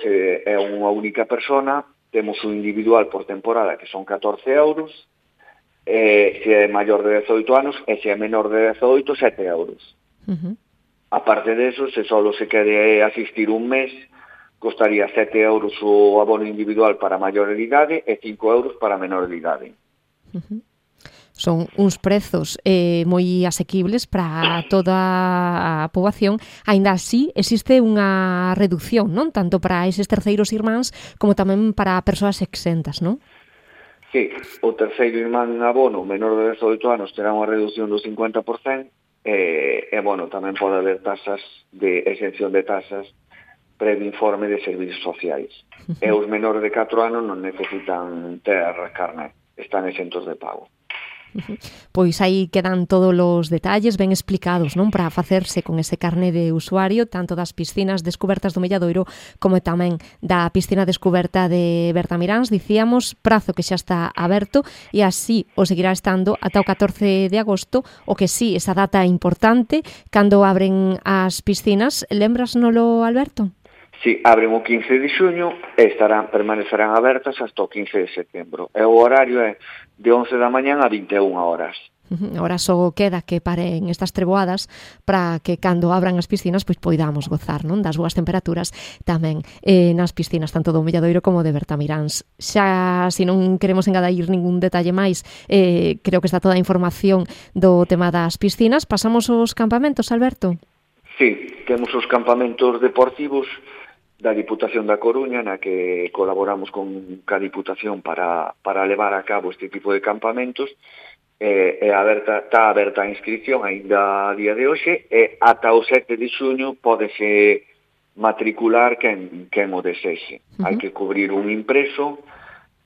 se é unha única persona, temos o individual por temporada, que son 14 euros, se é maior de 18 anos, e se é menor de 18, 7 euros. A parte deso, se só se quere asistir un mes, costaría 7 euros o abono individual para maior de idade e 5 euros para menor de idade. Son uns prezos moi asequibles para toda a poboación. Aínda así, existe unha reducción, non? Tanto para eses terceiros irmáns como tamén para persoas exentas, non? Sí, o terceiro irmán abono menor de 18 anos terá unha reducción do 50%, tamén pode haber tasas de exención de tasas previo informe de servicios sociais. E os menores de 4 anos non necesitan ter carné, están exentos de pago. Pois aí quedan todos os detalles ben explicados, non, para facerse con ese carné de usuario, tanto das piscinas descubertas do Milladoiro como tamén da piscina descuberta de Bertamiráns. Dicíamos, prazo que xa está aberto e así o seguirá estando ata o 14 de agosto, o que sí, esa data importante, cando abren as piscinas. Lembrasnolo, Alberto? Sí, abren o 15 de xuño e permanecerán abertas hasta o 15 de setembro. E o horario é de 11 da mañán a 21 horas. Ahora só queda que paren estas treboadas para que cando abran as piscinas pois poidamos gozar, non, das boas temperaturas tamén nas piscinas tanto do Milladoiro como de Bertamiráns. Xa, se non queremos engadir ningún detalle máis, creo que está toda a información do tema das piscinas. Pasamos aos campamentos, Alberto? Sí, temos os campamentos deportivos da Diputación da Coruña, na que colaboramos ca Diputación para levar a cabo este tipo de campamentos. Está aberta a inscripción aínda a día de hoxe, e ata o 7 de xuño pódese matricular quen o desexe. Hai que cubrir un impreso,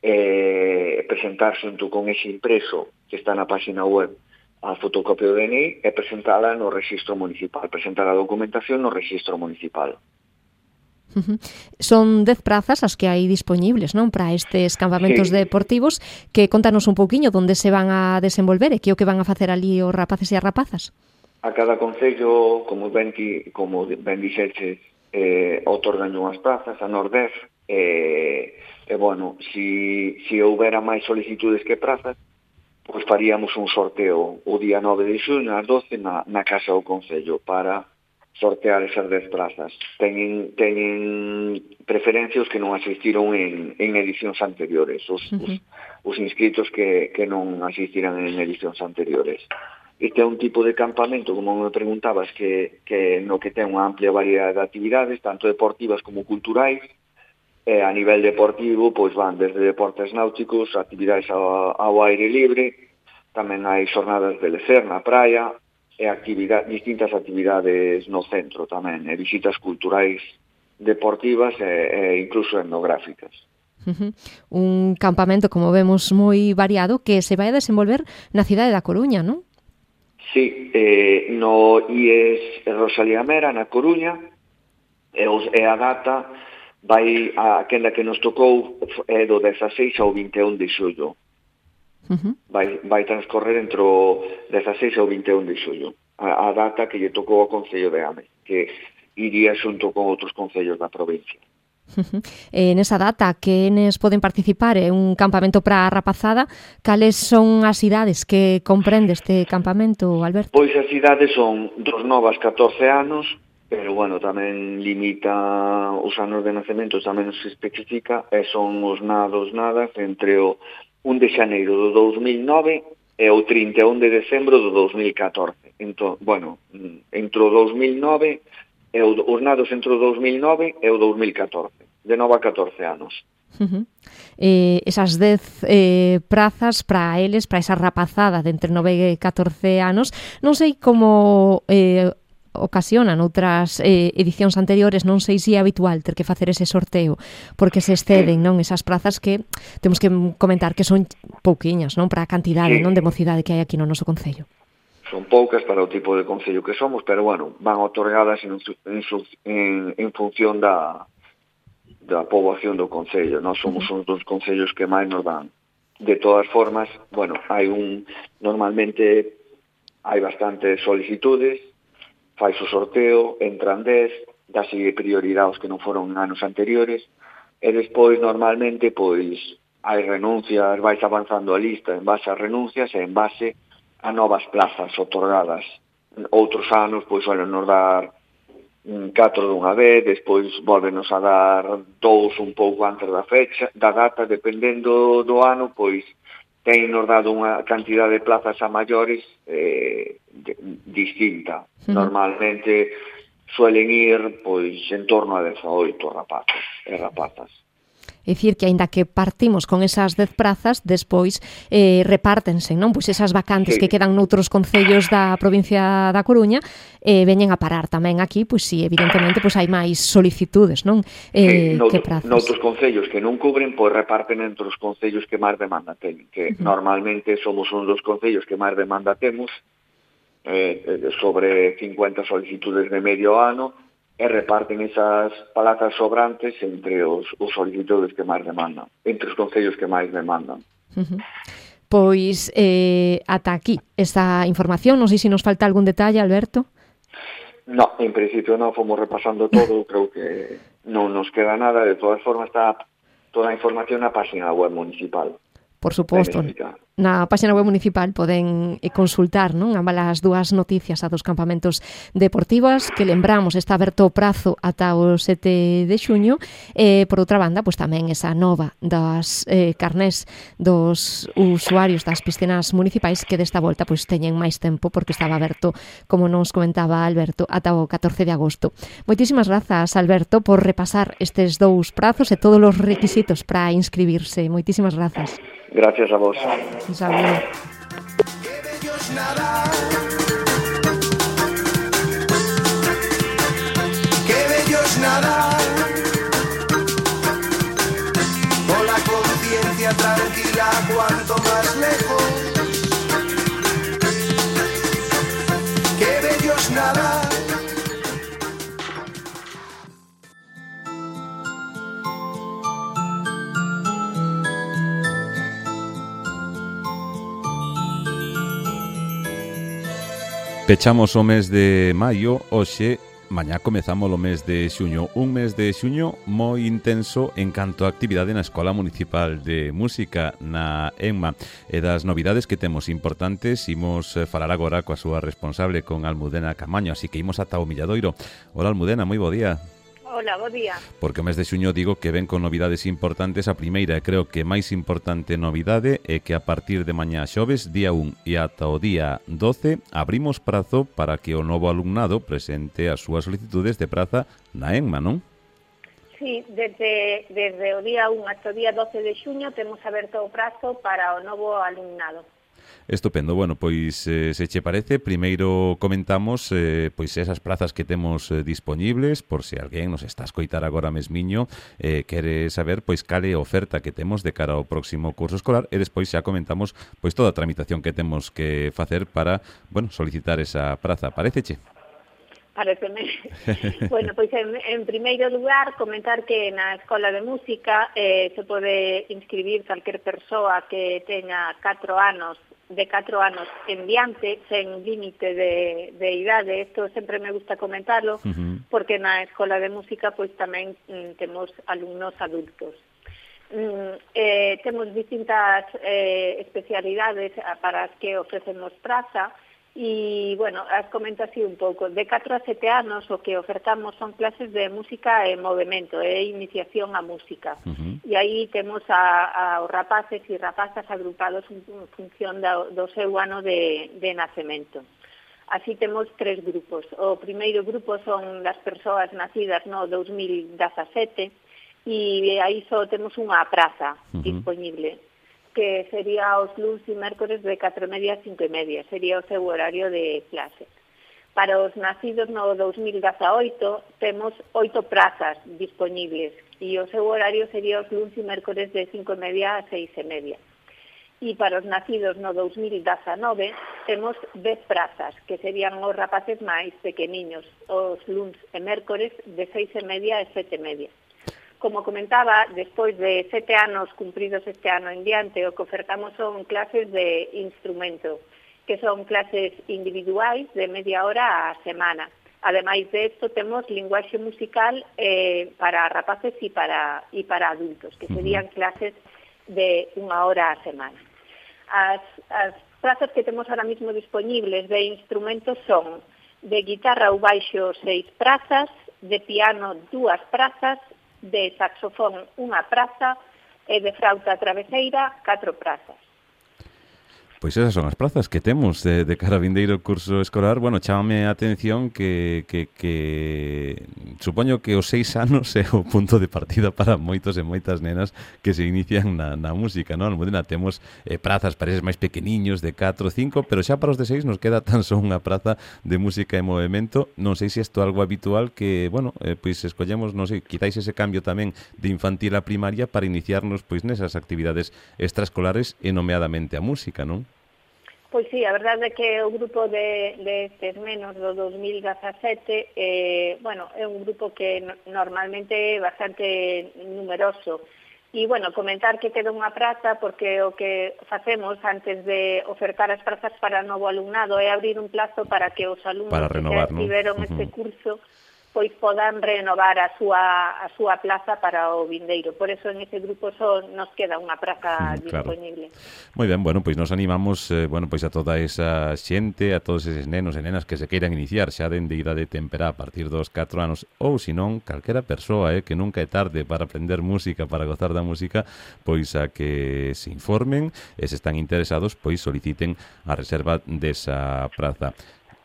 presentar xunto con ese impreso que está na página web a fotocopia do DNI e presentala no rexistro municipal, presentar a documentación no rexistro municipal. Son 10 prazas as que hai dispoñibles, non, para estes campamentos deportivos, que contanos un pouquiño onde se van a desenvolver e que o que van a facer ali os rapaces e as rapazas. A cada concello, como ben dixeches, otorgan unhas prazas, a Nordez, si houbera máis solicitudes que prazas, pois faríamos un sorteo o día 9 de xuño ás 12 na Casa do Concello para sortear esas 10 plazas. Teñen preferencia os que non asistiron en edicións anteriores, os inscritos que non asistirán en edicións anteriores. Este é un tipo de campamento, como me preguntabas, que no que ten unha amplia variedade de actividades, tanto deportivas como culturais. A nivel deportivo, pois van desde deportes náuticos, actividades ao aire libre, tamén hai xornadas de lecer na praia, e distintas actividades no centro tamén, e visitas culturais deportivas e incluso etnográficas. Un campamento, como vemos, moi variado que se vai a desenvolver na cidade da Coruña, non? Sí, no IES Rosalía Mera, na Coruña, e a data vai a quenda que nos tocou é do 16 ao 21 de xullo. Vai transcorrer entre o 16 ao 21 de xullo. A data que lle tocou ao Concello de Ame, que iría xunto con outros concellos da provincia. Nesa data, quenes poden participar? É un campamento para a rapazada. Cales son as idades que comprende este campamento, Alberto? Pois as idades son dos 9 aos 14 anos, pero, bueno, tamén limita os anos de nacemento, tamén se especifica, e son os nadas entre o 1 de xaneiro do 2009 e o 31 de decembro do 2014. Entón, bueno, entre o 2009 e os nados entre o 2009 e o 2014, de 9 a 14 anos. Esas 10 prazas para eles, para esa rapazada de entre 9 e 14 anos, non sei como ocasionan outras edicións anteriores, non sei se é habitual ter que facer ese sorteo, porque se exceden, non, esas prazas que temos que comentar que son pouquiñas, non, para a cantidade, non, de mocidade que hai aquí no noso concello. Son poucas para o tipo de concello que somos, pero, bueno, van otorgadas en función da poboación do concello. Nós somos un dos concellos que máis nos dan. De todas formas, bueno, normalmente hai bastantes solicitudes, fai o sorteo, entran 10, dase prioridade aos que non foron anos anteriores, e despois, normalmente, pois, hai renuncias, vais avanzando a lista en base a renuncias e en base a novas plazas otorgadas. Outros anos, pois, suelen nos dar 4 dunha vez, despois volvenos a dar 2 un pouco antes da data, dependendo do ano, pois, nos dado unha cantidad de plazas a maiores distinta. Normalmente suelen ir, pois, en torno a 18 rapazos e rapazas. É dicir, que aínda que partimos con esas 10 prazas, despois repártense, non? Pois esas vacantes que quedan noutros concellos da provincia da Coruña veñen a parar tamén aquí, pois si, evidentemente, pois hai máis solicitudes, non? Que prazas. Noutros concellos que non cubren, pois reparten entre os concellos que máis demanda teñen, que normalmente somos un dos concellos que máis demanda temos, sobre 50 solicitudes de medio ano, e reparten esas plazas sobrantes entre os solicitudes que máis demandan, entre os concellos que máis demandan. Pois ata aquí esta información, non sei se nos falta algún detalle, Alberto. No, en principio non, fomos repasando todo, creo que non nos queda nada, de todas formas está toda a información na página web municipal. Por suposto, na página web municipal poden consultar, non, ambas as dúas noticias a dos campamentos deportivos, que lembramos está aberto o prazo ata o 7 de xuño, e por outra banda, pois tamén esa nova das carnés dos usuarios das piscinas municipais, que desta volta pois teñen máis tempo porque estaba aberto, como nos comentaba Alberto, ata o 14 de agosto. Moitísimas grazas, Alberto, por repasar estes dous prazos e todos os requisitos para inscribirse. Moitísimas grazas. Gracias a vos. Un saludo. Qué bello es nadar. Qué bello es nadar. Con la conciencia tranquila, cuanto más lejos. Qué bello es nadar. Pechamos o mes de maio, hoxe, mañá comezamos o mes de xuño. Un mes de xuño moi intenso en canto a actividade na Escola Municipal de Música, na ENMA. E das novidades que temos importantes, imos falar agora coa súa responsable, con Almudena Camaño, así que imos ata o Milladoiro. Hola, Almudena, moi bo día. Hola, bo día. Porque o mes de xuño digo que ven con novidades importantes. A primeira, e creo que máis importante novidade, é que a partir de mañá xoves, día 1 e ata o día 12, abrimos prazo para que o novo alumnado presente as súas solicitudes de praza na ENMA, non? Sí, desde o día 1 ata o día 12 de xuño temos aberto o prazo para o novo alumnado. Estupendo. Bueno, pois se che parece, primeiro comentamos pois esas prazas que temos dispoñibles, por se alguén nos está a escoitar agora mesmiño, quere saber pois cal é a oferta que temos de cara ao próximo curso escolar, e despois xa comentamos pois toda a tramitación que temos que facer para, bueno, solicitar esa praza. Paréceche? Pareceme. Bueno, pois en primeiro lugar comentar que na Escola de Música se pode inscribir calquer persoa que teña 4 anos, de 4 anos en diante, sen límite de idade. Isto sempre me gusta comentarlo, porque na Escola de Música pois tamén temos alumnos adultos. Temos distintas especialidades para as que ofrecemos praza. E, bueno, as comento así un pouco. De 4 a 7 anos o que ofertamos son clases de música e movimento, iniciación á música. E aí temos aos rapaces e rapazas agrupados en función do seu ano de nacemento. Así temos 3 grupos. O primeiro grupo son das persoas nacidas no 2017 e aí só temos unha praza disponible, que sería os luns e mércores de 4:30 a 5:30, sería o seu horario de clase. Para os nacidos no 2018 temos 8 prazas disponibles e o seu horario sería os luns e mércores de 5:30 a 6:30. E para os nacidos no 2019 temos 10 prazas, que serían os rapaces máis pequeniños, os luns e mércores de 6:30 a 7:30. Como comentaba, despois de 7 anos cumpridos este ano en diante, o que ofertamos son clases de instrumento, que son clases individuais de media hora á semana. Ademais de isto, temos linguaxe musical para rapaces e para adultos, que serían clases de 1 hora á semana. As plazas que temos ahora mismo disponibles de instrumentos son de guitarra ou baixo 6 prazas, de piano 2 prazas, de saxofón 1 praza e de flauta traveseira 4 prazas. Pois esas son as prazas que temos de cara a vindeiro curso escolar. Bueno, chámame a atención que supoño que os 6 anos é o punto de partida para moitos e moitas nenas que se inician na música, non? Almudena, temos prazas para eses máis pequeniños de 4 ou 5, pero xa para os de 6 nos queda tan só unha praza de música e movimento. Non sei se isto é algo habitual que, bueno, pois escollemos, non sei, quizáis ese cambio tamén de infantil a primaria para iniciarnos pois nesas actividades extraescolares e nomeadamente a música, non? Pois sí, a verdade é que o grupo de estes menos do 2017 é un grupo que normalmente é bastante numeroso. E, bueno, comentar que queda unha praza porque o que facemos antes de ofertar as prazas para novo alumnado é abrir un plazo para que os alumnos que xa estiveron este curso pois podan renovar a súa plaza para o vindeiro. Por eso en ese grupo só nos queda unha praza disponible. Moi ben, bueno, pois nos animamos pois a toda esa xente, a todos eses nenos e nenas que se queiran iniciar xa dende idade temperá a partir dos 4 anos, ou senón calquera persoa que nunca é tarde para aprender música, para gozar da música, pois a que se informen e se están interesados, pois soliciten a reserva desa praza.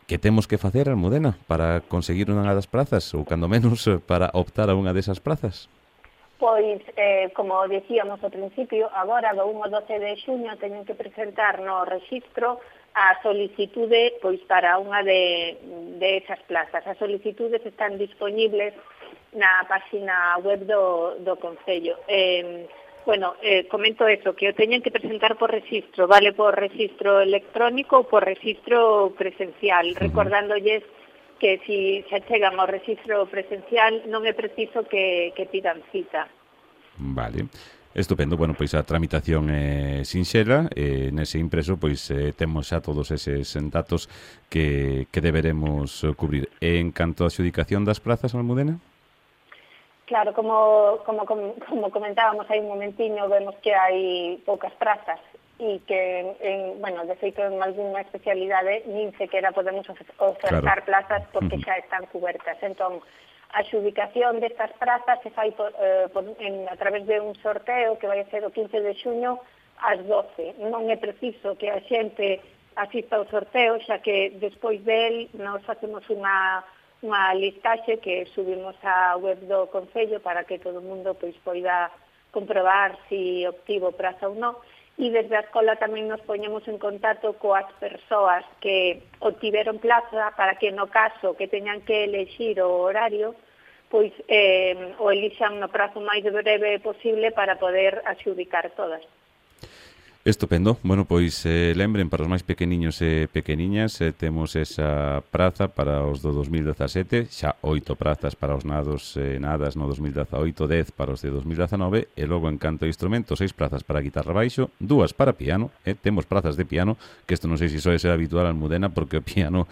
Que temos que facer, Almudena, para conseguir unha das plazas, ou cando menos para optar a unha desas plazas? Pois, como dicíamos ao principio, agora do 1 ao 12 de xuño teñen que presentar no rexistro a solicitude pois para unha de esas plazas. As solicitudes están disponibles na página web do Concello. Comento eso, que o teñen que presentar por rexistro, vale por rexistro electrónico ou por rexistro presencial, recordándolles que se chegan ao rexistro presencial non é preciso que pidan cita. Vale. Estupendo, bueno, pois a tramitación é sinxela e nese impreso pois temos xa todos eses datos que deberemos cubrir. E en canto a adxudicación das plazas, Almudena? Claro, como comentábamos aí un momentiño, vemos que hai poucas prazas e que, de feito, en algunha especialidade nin sequera podemos ofertar plazas porque xa están cubertas. Entón, a adxudicación destas prazas se fai a través de un sorteo que vai a ser o 15 de xuño ás 12. Non é preciso que a xente asista ao sorteo, xa que despois del nos facemos unha listaxe que subimos á web do Concello para que todo o mundo pois poida comprobar se obtivo praza ou non. e desde a escola tamén nos poñemos en contacto coas persoas que obtiveron plaza para que no caso que teñan que elexir o horario, pois o elixan no prazo máis breve posible para poder adxudicar todas. Estupendo. Bueno, pois lembren para os máis pequeniños e pequeniñas, temos esa praza para os do 2017, xa 8 prazas para os nados e nadas no 2018, 10 para os de 2019 e logo en canto a instrumentos 6 prazas para guitarra baixo, 2 para piano, temos prazas de piano, que isto non sei se soe ser habitual en Almudena porque o piano,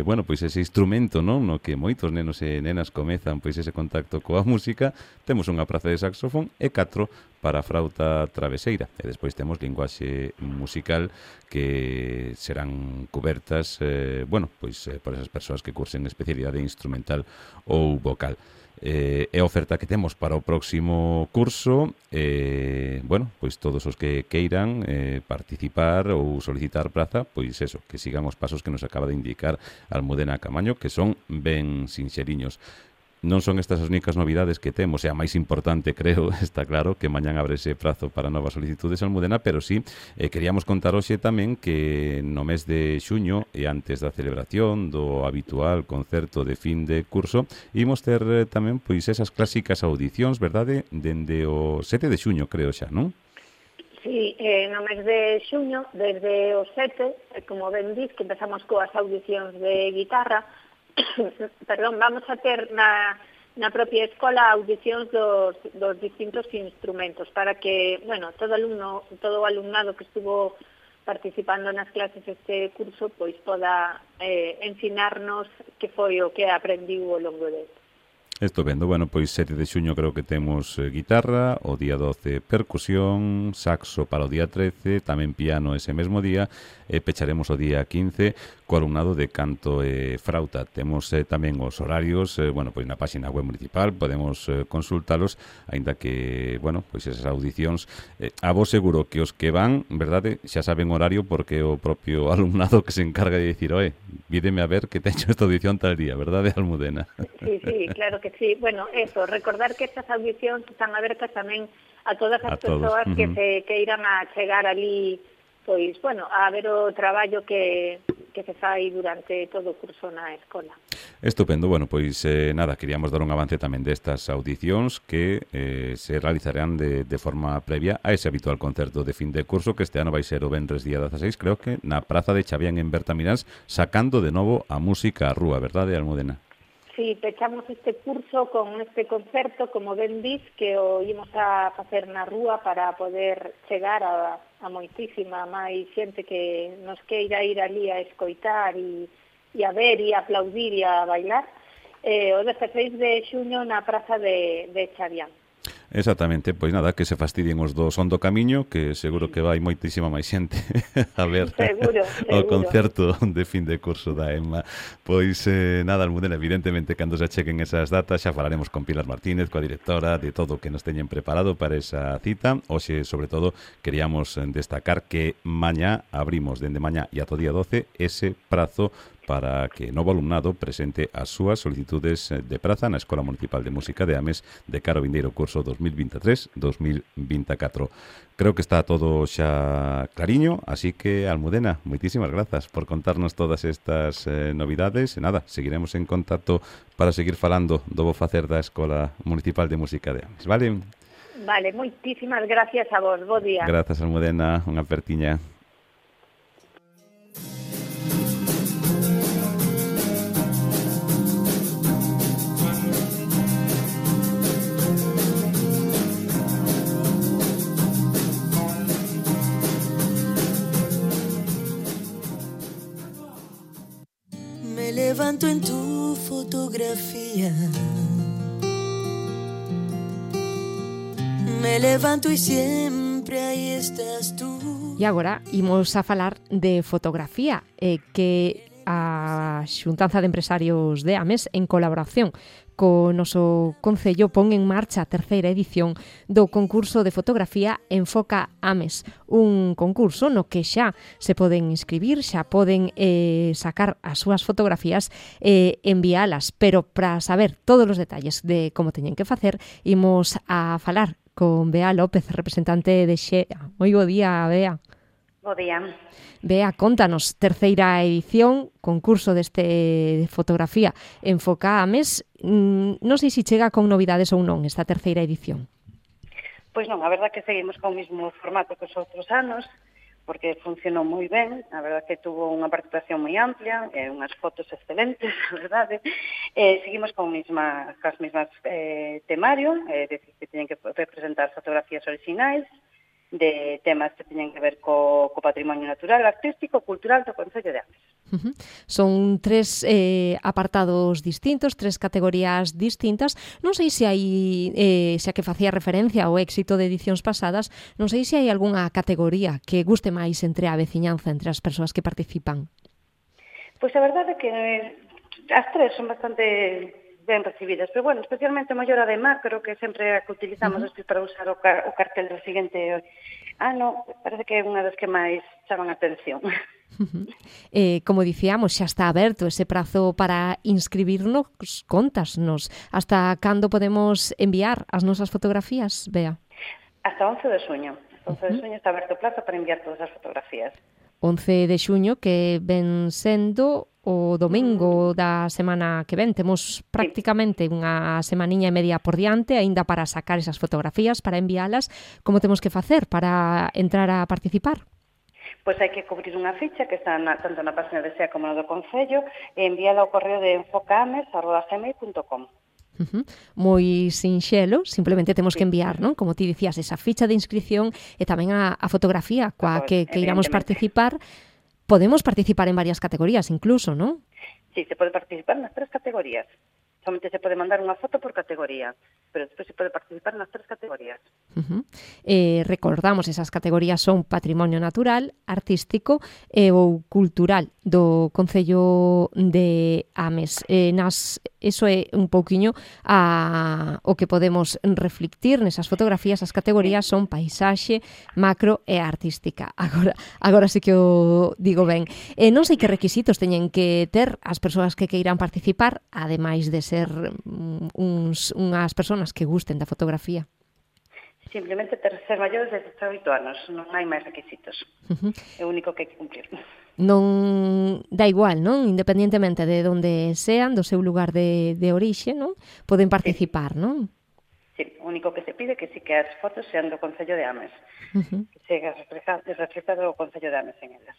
bueno, pois ese instrumento, non, no que moitos nenos e nenas comezan pois ese contacto coa música. Temos unha praza de saxofón e 4 para a frauta traveseira e despois temos linguaxe musical que serán cobertas bueno, pois por esas persoas que cursen especialidade instrumental ou vocal. É a oferta que temos para o próximo curso. Bueno, pois todos os que queiran participar ou solicitar praza, pois eso, que sigan os pasos que nos acaba de indicar Almudena Camaño, que son ben sinxeriños. Non son estas as únicas novidades que temos, e a máis importante, creo, está claro, que mañán abre ese prazo para novas solicitudes en Almudena, pero sí, queríamos contar hoxe tamén que no mes de xuño, e antes da celebración do habitual concerto de fin de curso, imos ter tamén pois esas clásicas audicións, verdade? Dende o 7 de xuño, creo xa, non? Sí, no mes de xuño, desde o 7, como ben dis, que empezamos coas audicións de guitarra, perdón, vamos a ter na propia escola audicións dos distintos instrumentos para que, bueno, todo o alumnado que estuvo participando nas clases este curso pois poda ensinarnos que foi o que aprendiu ao longo deste. Estupendo. Bueno, pois 7 de xuño creo que temos guitarra, o día 12 percusión, saxo para o día 13, tamén piano ese mesmo día, e pecharemos o día 15 co alumnado de canto e frauta. Temos tamén os horarios, bueno, pois na página web municipal podemos consultalos, aínda que, bueno, pois esas audicións, a vos seguro que os que van, verdade, xa saben horario porque o propio alumnado que se encarga de dicir, vídeme a ver que teño esta audición tal día, verdade, Almudena? Sí, claro que sí. Bueno, eso, recordar que estas audicións están abertas tamén a todas as persoas que se queiran a chegar ali, pois, bueno, a ver o traballo que se fai durante todo o curso na escola. Estupendo. Bueno, pois nada, queríamos dar un avance tamén destas audicións que se realizarán de forma previa a ese habitual concerto de fin de curso que este ano vai ser o venres día 16, creo que na Praza de Chavián en Bertamiráns, sacando de novo a música á rúa, verdade, Almudena? Sí, pechamos este curso con este concerto, como ben dis, que o ímos a facer na rúa para poder chegar a moitísima máis xente que nos queira ir ali a escoitar e a ver e a aplaudir e a bailar, o 16 de xuño na Praza de Chavián. Exactamente, pois nada, que se fastidien os do Son do Camiño, que seguro que vai moitísima máis xente a ver o concerto de fin de curso da EMMA. Pois nada, Almudena, evidentemente, cando se chequen esas datas, xa falaremos con Pilar Martínez, coa directora, de todo o que nos teñen preparado para esa cita. Hoxe, sobre todo, queríamos destacar que mañá abrimos, dende mañá e ata o día 12, ese prazo para que novo alumnado presente as súas solicitudes de praza na Escola Municipal de Música de Ames de cara ao vindeiro curso 2023-2024. Creo que está todo xa clariño, así que, Almudena, moitísimas grazas por contarnos todas estas novidades. E nada, seguiremos en contacto para seguir falando do bo facer da Escola Municipal de Música de Ames, vale? Vale, moitísimas gracias a vos, bo día. Grazas, Almudena, unha apertiña. Levanto en tu fotografía. Me levanto y siempre ahí estás tú. E agora imos a falar de fotografía, que a Xuntanza de Empresarios de Ames, en colaboración co noso Concello, pon en marcha a terceira edición do concurso de fotografía Enfoca Ames, un concurso no que xa se poden inscribir, xa poden sacar as súas fotografías e enviálas, pero para saber todos os detalles de como teñen que facer, imos a falar con Bea López, representante de Xea. Moi bo día, Bea. Bo día. Bea, contanos, terceira edición, concurso de fotografía Enfoca Ames. Non sei se chega con novidades ou non esta terceira edición. Pois non, a verdad que seguimos con o mesmo formato que os outros anos, porque funcionou moi ben, a verdad que tuvo unha participación moi amplia, unhas fotos excelentes, a verdade. Seguimos con as mesmas temario, decir, que teñen que representar fotografías orixinais, de temas que teñen que ver co patrimonio natural, artístico, cultural do Concello de Ames. Son 3 apartados distintos, 3 categorías distintas. Non sei se hai, xa que facía referencia ao éxito de edicións pasadas, non sei se hai algunha categoría que guste máis entre a veciñanza, entre as persoas que participan. Pois a verdade é que as 3 son bastante ben recibidas, pero bueno, especialmente maior a de macro, que sempre a que utilizamos despois para usar o cartel do seguinte ano, parece que é unha das que máis chaman a atención. Como dicíamos, xa está aberto ese prazo para inscribirnos. Contasnos, hasta cando podemos enviar as nosas fotografías, Bea? Hasta 11 de xuño. Hasta 11 de xuño está aberto o plazo para enviar todas as fotografías. 11 de xuño, que ven sendo o domingo da semana que ven. Temos prácticamente unha semaniña e media por diante aínda para sacar esas fotografías, para envialas. Como temos que facer para entrar a participar? Pois hai que cubrir unha ficha que está tanto na página de SEA como na do Concello e enviala ao correo de enfocames@gmail.com. Moi sinxelo, simplemente temos que enviar, non? Como ti dicías, esa ficha de inscripción e tamén a fotografía coa que iramos participar. Podemos participar en varias categorías incluso, non? Sí, se pode participar nas 3 categorías. Somente se pode mandar unha foto por categoría, pero despois se pode participar nas 3 categorías. Recordamos, esas categorías son patrimonio natural, artístico ou cultural do Concello de Ames. Eso é un pouquiño o que podemos reflectir nesas fotografías. As categorías son paisaxe, macro e artística. Agora sí que o digo ben. Non sei que requisitos teñen que ter as persoas que queiran participar, ademais de ser unhas persoas que gusten da fotografía. Simplemente ser maiores de 18 anos, non hai máis requisitos. É o único que hai que cumplir. Non dá igual, non? Independientemente de onde sean, do seu lugar de orixe, non? Poden participar, non? Sí, o único que se pide é que sí que as fotos sean do Concello de Ames, que sega reflexado o Concello de Ames en elas.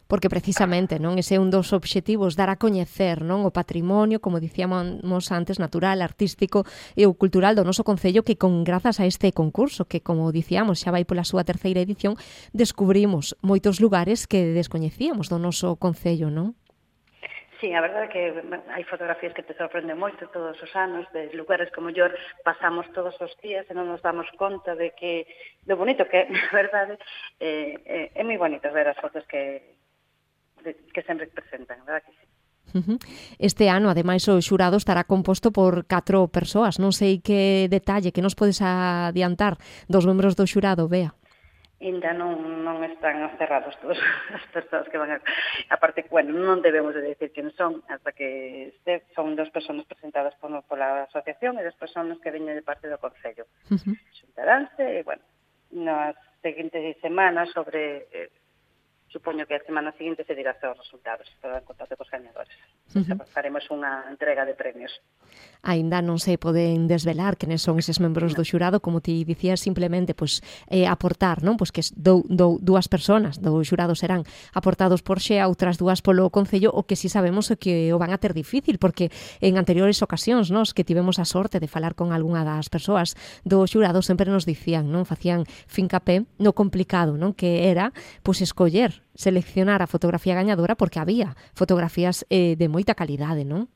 Porque precisamente, non, ese é un dos obxectivos, dar a coñecer, non, o patrimonio, como dicíamos antes, natural, artístico e o cultural do noso concello, que grazas a este concurso, que como dicíamos, xa vai pola súa terceira edición, descubrimos moitos lugares que descoñecíamos do noso concello, non? Sí, a verdade é que hai fotografías que te sorprenden moito todos os anos, de lugares que mellor pasamos todos os días e non nos damos conta de que lo bonito que é, a verdade, é moi bonito ver as fotos que sempre presentan, verdad que sí. Este ano, ademais, o xurado estará composto por 4 persoas. Non sei que detalle que nos podes adiantar dos membros do xurado, Bea. Ainda non están cerrados todas as persoas que van a... Aparte, bueno, non debemos de decir quen son, hasta que son 2 persoas presentadas pola asociación e 2 persoas que veñen de parte do Concello. Xuntaránse, e, bueno, nas seguintes semanas sobre... Supoño que a semana seguinte se dirá os resultados, para en contacto cos gañadores. Faremos unha entrega de premios. Aínda non se poden desvelar quenes son eses membros do xurado, como ti dicías, simplemente aportar, non? Pois que 2 persoas do xurado serán aportados por Xea, outras 2 polo Concello, o que si sabemos é que o van a ter difícil, porque en anteriores ocasións, nos que tivemos a sorte de falar con algunha das persoas do xurado, sempre nos dicían, non? Facían fincapé no complicado, non? Que era, pois, escoller, seleccionar a fotografía gañadora, porque había fotografías de moita calidade, non?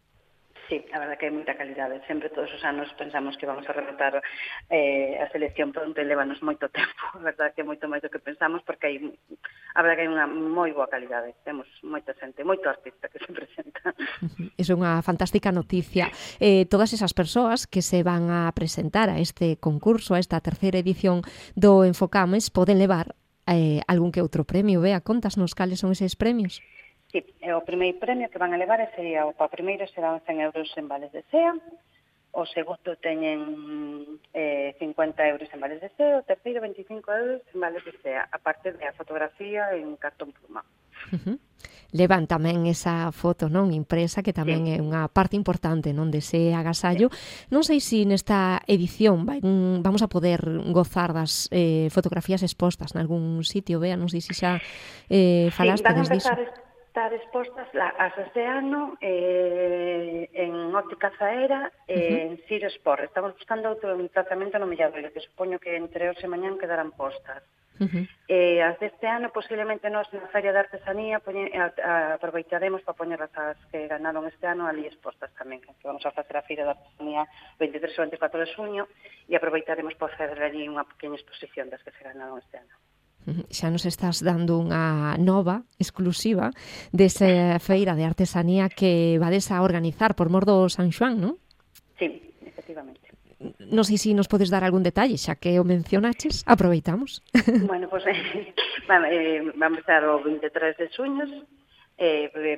Sí, a verdade que hai moita calidade. Sempre todos os anos pensamos que vamos a rematar a selección pronto e levanos moito tempo. A verdade que é moito máis do que pensamos, porque a verdade que hai unha moi boa calidade. Temos moita xente, moito artista que se presenta. Iso é unha fantástica noticia. Todas esas persoas que se van a presentar a este concurso, a esta terceira edición do Enfocames, poden levar algún que outro premio. Bea, contasnos cales son eses premios? Sí, o primeiro premio que van a levar sería, o primeiro serán 100 euros en vales de SEA, o segundo teñen 50 euros en vales de SEA, o terceiro 25 euros en vales de SEA, aparte da fotografía en cartón pluma. Levan tamén esa foto, non, impresa, que tamén é unha parte importante, non, dese agasallo. Non sei se nesta edición vamos a poder gozar das fotografías expostas nalgún sitio, Bea, non sei se xa falaste disso. Estar expostas as este ano en Óptica Zaera en Siro Sport. Estamos buscando outro emplazamento no Milladoiro, que supoño que entre hoxe e mañán quedarán postas. As deste ano posiblemente nós na Feria de Artesanía aproveitaremos para poñerlas as que ganaron este ano ali expostas tamén, que vamos a facer a Feira de Artesanía 23 e 24 de xuño e aproveitaremos para facer ali unha pequena exposición das que se ganaron este ano. Xa nos estás dando unha nova exclusiva desa feira de artesanía que vades a organizar por mor do San Xoán, non? Sí, efectivamente. Non sei se nos podes dar algún detalle, xa que o mencionaches, aproveitamos. Bueno, pues vamos a estar o 23 de xuño,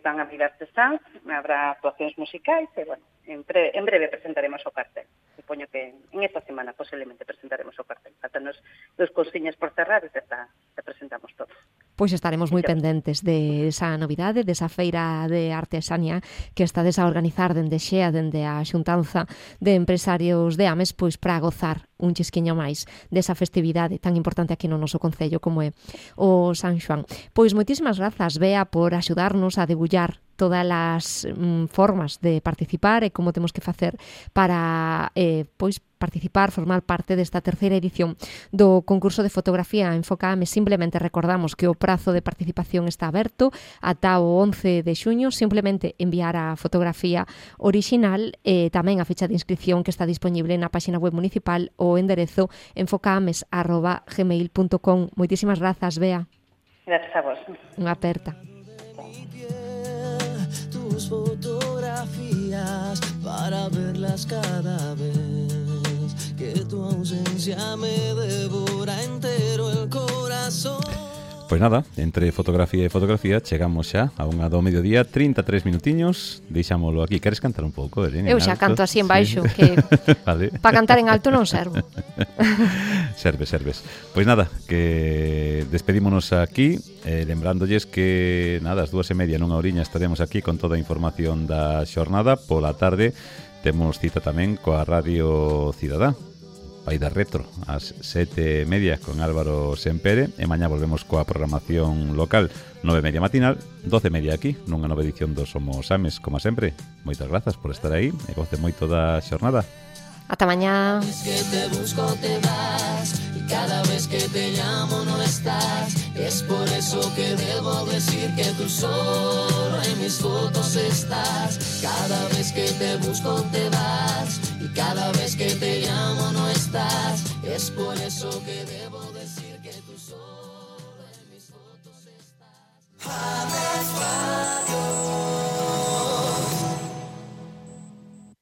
van a haber artesáns, habrá actuacións musicais e, bueno, en breve presentaremos o cartel. Supoño que en esta semana posiblemente presentaremos o cartel. Faltanos dos cousiñas por cerrar e xa presentamos todo. Pois estaremos moi pendentes de esa novidade, desa feira de artesanía que estades a organizar dende Xea, dende a xuntanza de empresarios de Ames, pois para gozar un chisquiño máis desa festividade tan importante aquí no noso concello como é o San Xoán. Pois moitísimas grazas, Bea, por axudarnos a debullar todas as formas de participar e como temos que facer para pois participar, formar parte desta terceira edición do concurso de fotografía Enfoca Ames. Simplemente recordamos que o prazo de participación está aberto ata o 11 de xuño, simplemente enviar a fotografía orixinal e tamén a fecha de inscripción que está disponible na páxina web municipal o enderezo enfocaames@gmail.com. Moitísimas grazas, Bea. Grazas a vos. Unha aperta. Tus fotografías para verlas cada vez que tu ausencia me devora entero el corazón. Pois nada, entre fotografía e fotografía chegamos xa a unha do mediodía, 33 minutiños, deixámolo aquí. Queres cantar un pouco, Elena? Eu xa canto así en baixo, sí. Que vale. Para cantar en alto non servo. Serves. Pois nada, que despedímonos aquí, lembrándoles que nada, as 2:30 nunha horiña estaremos aquí con toda a información da xornada. Pola tarde temos cita tamén coa Radio Cidadá, Pai da Retro, ás 7:30 con Álvaro Sempere, e mañá volvemos coa programación local, 9:30 matinal, 12:30 aquí, nunha nova edición do Somos Ames, como sempre. Moitas grazas por estar aí e goce moito da xornada. Ata mañá. Es que te busco, te vas, y cada vez que te llamo no estás. Es por eso que debo decir que tú solo en mis fotos estás. Cada vez que te busco te vas, y cada vez que te llamo no estás. Es por eso que debo decir que tú solo en mis fotos estás. Ames Radio.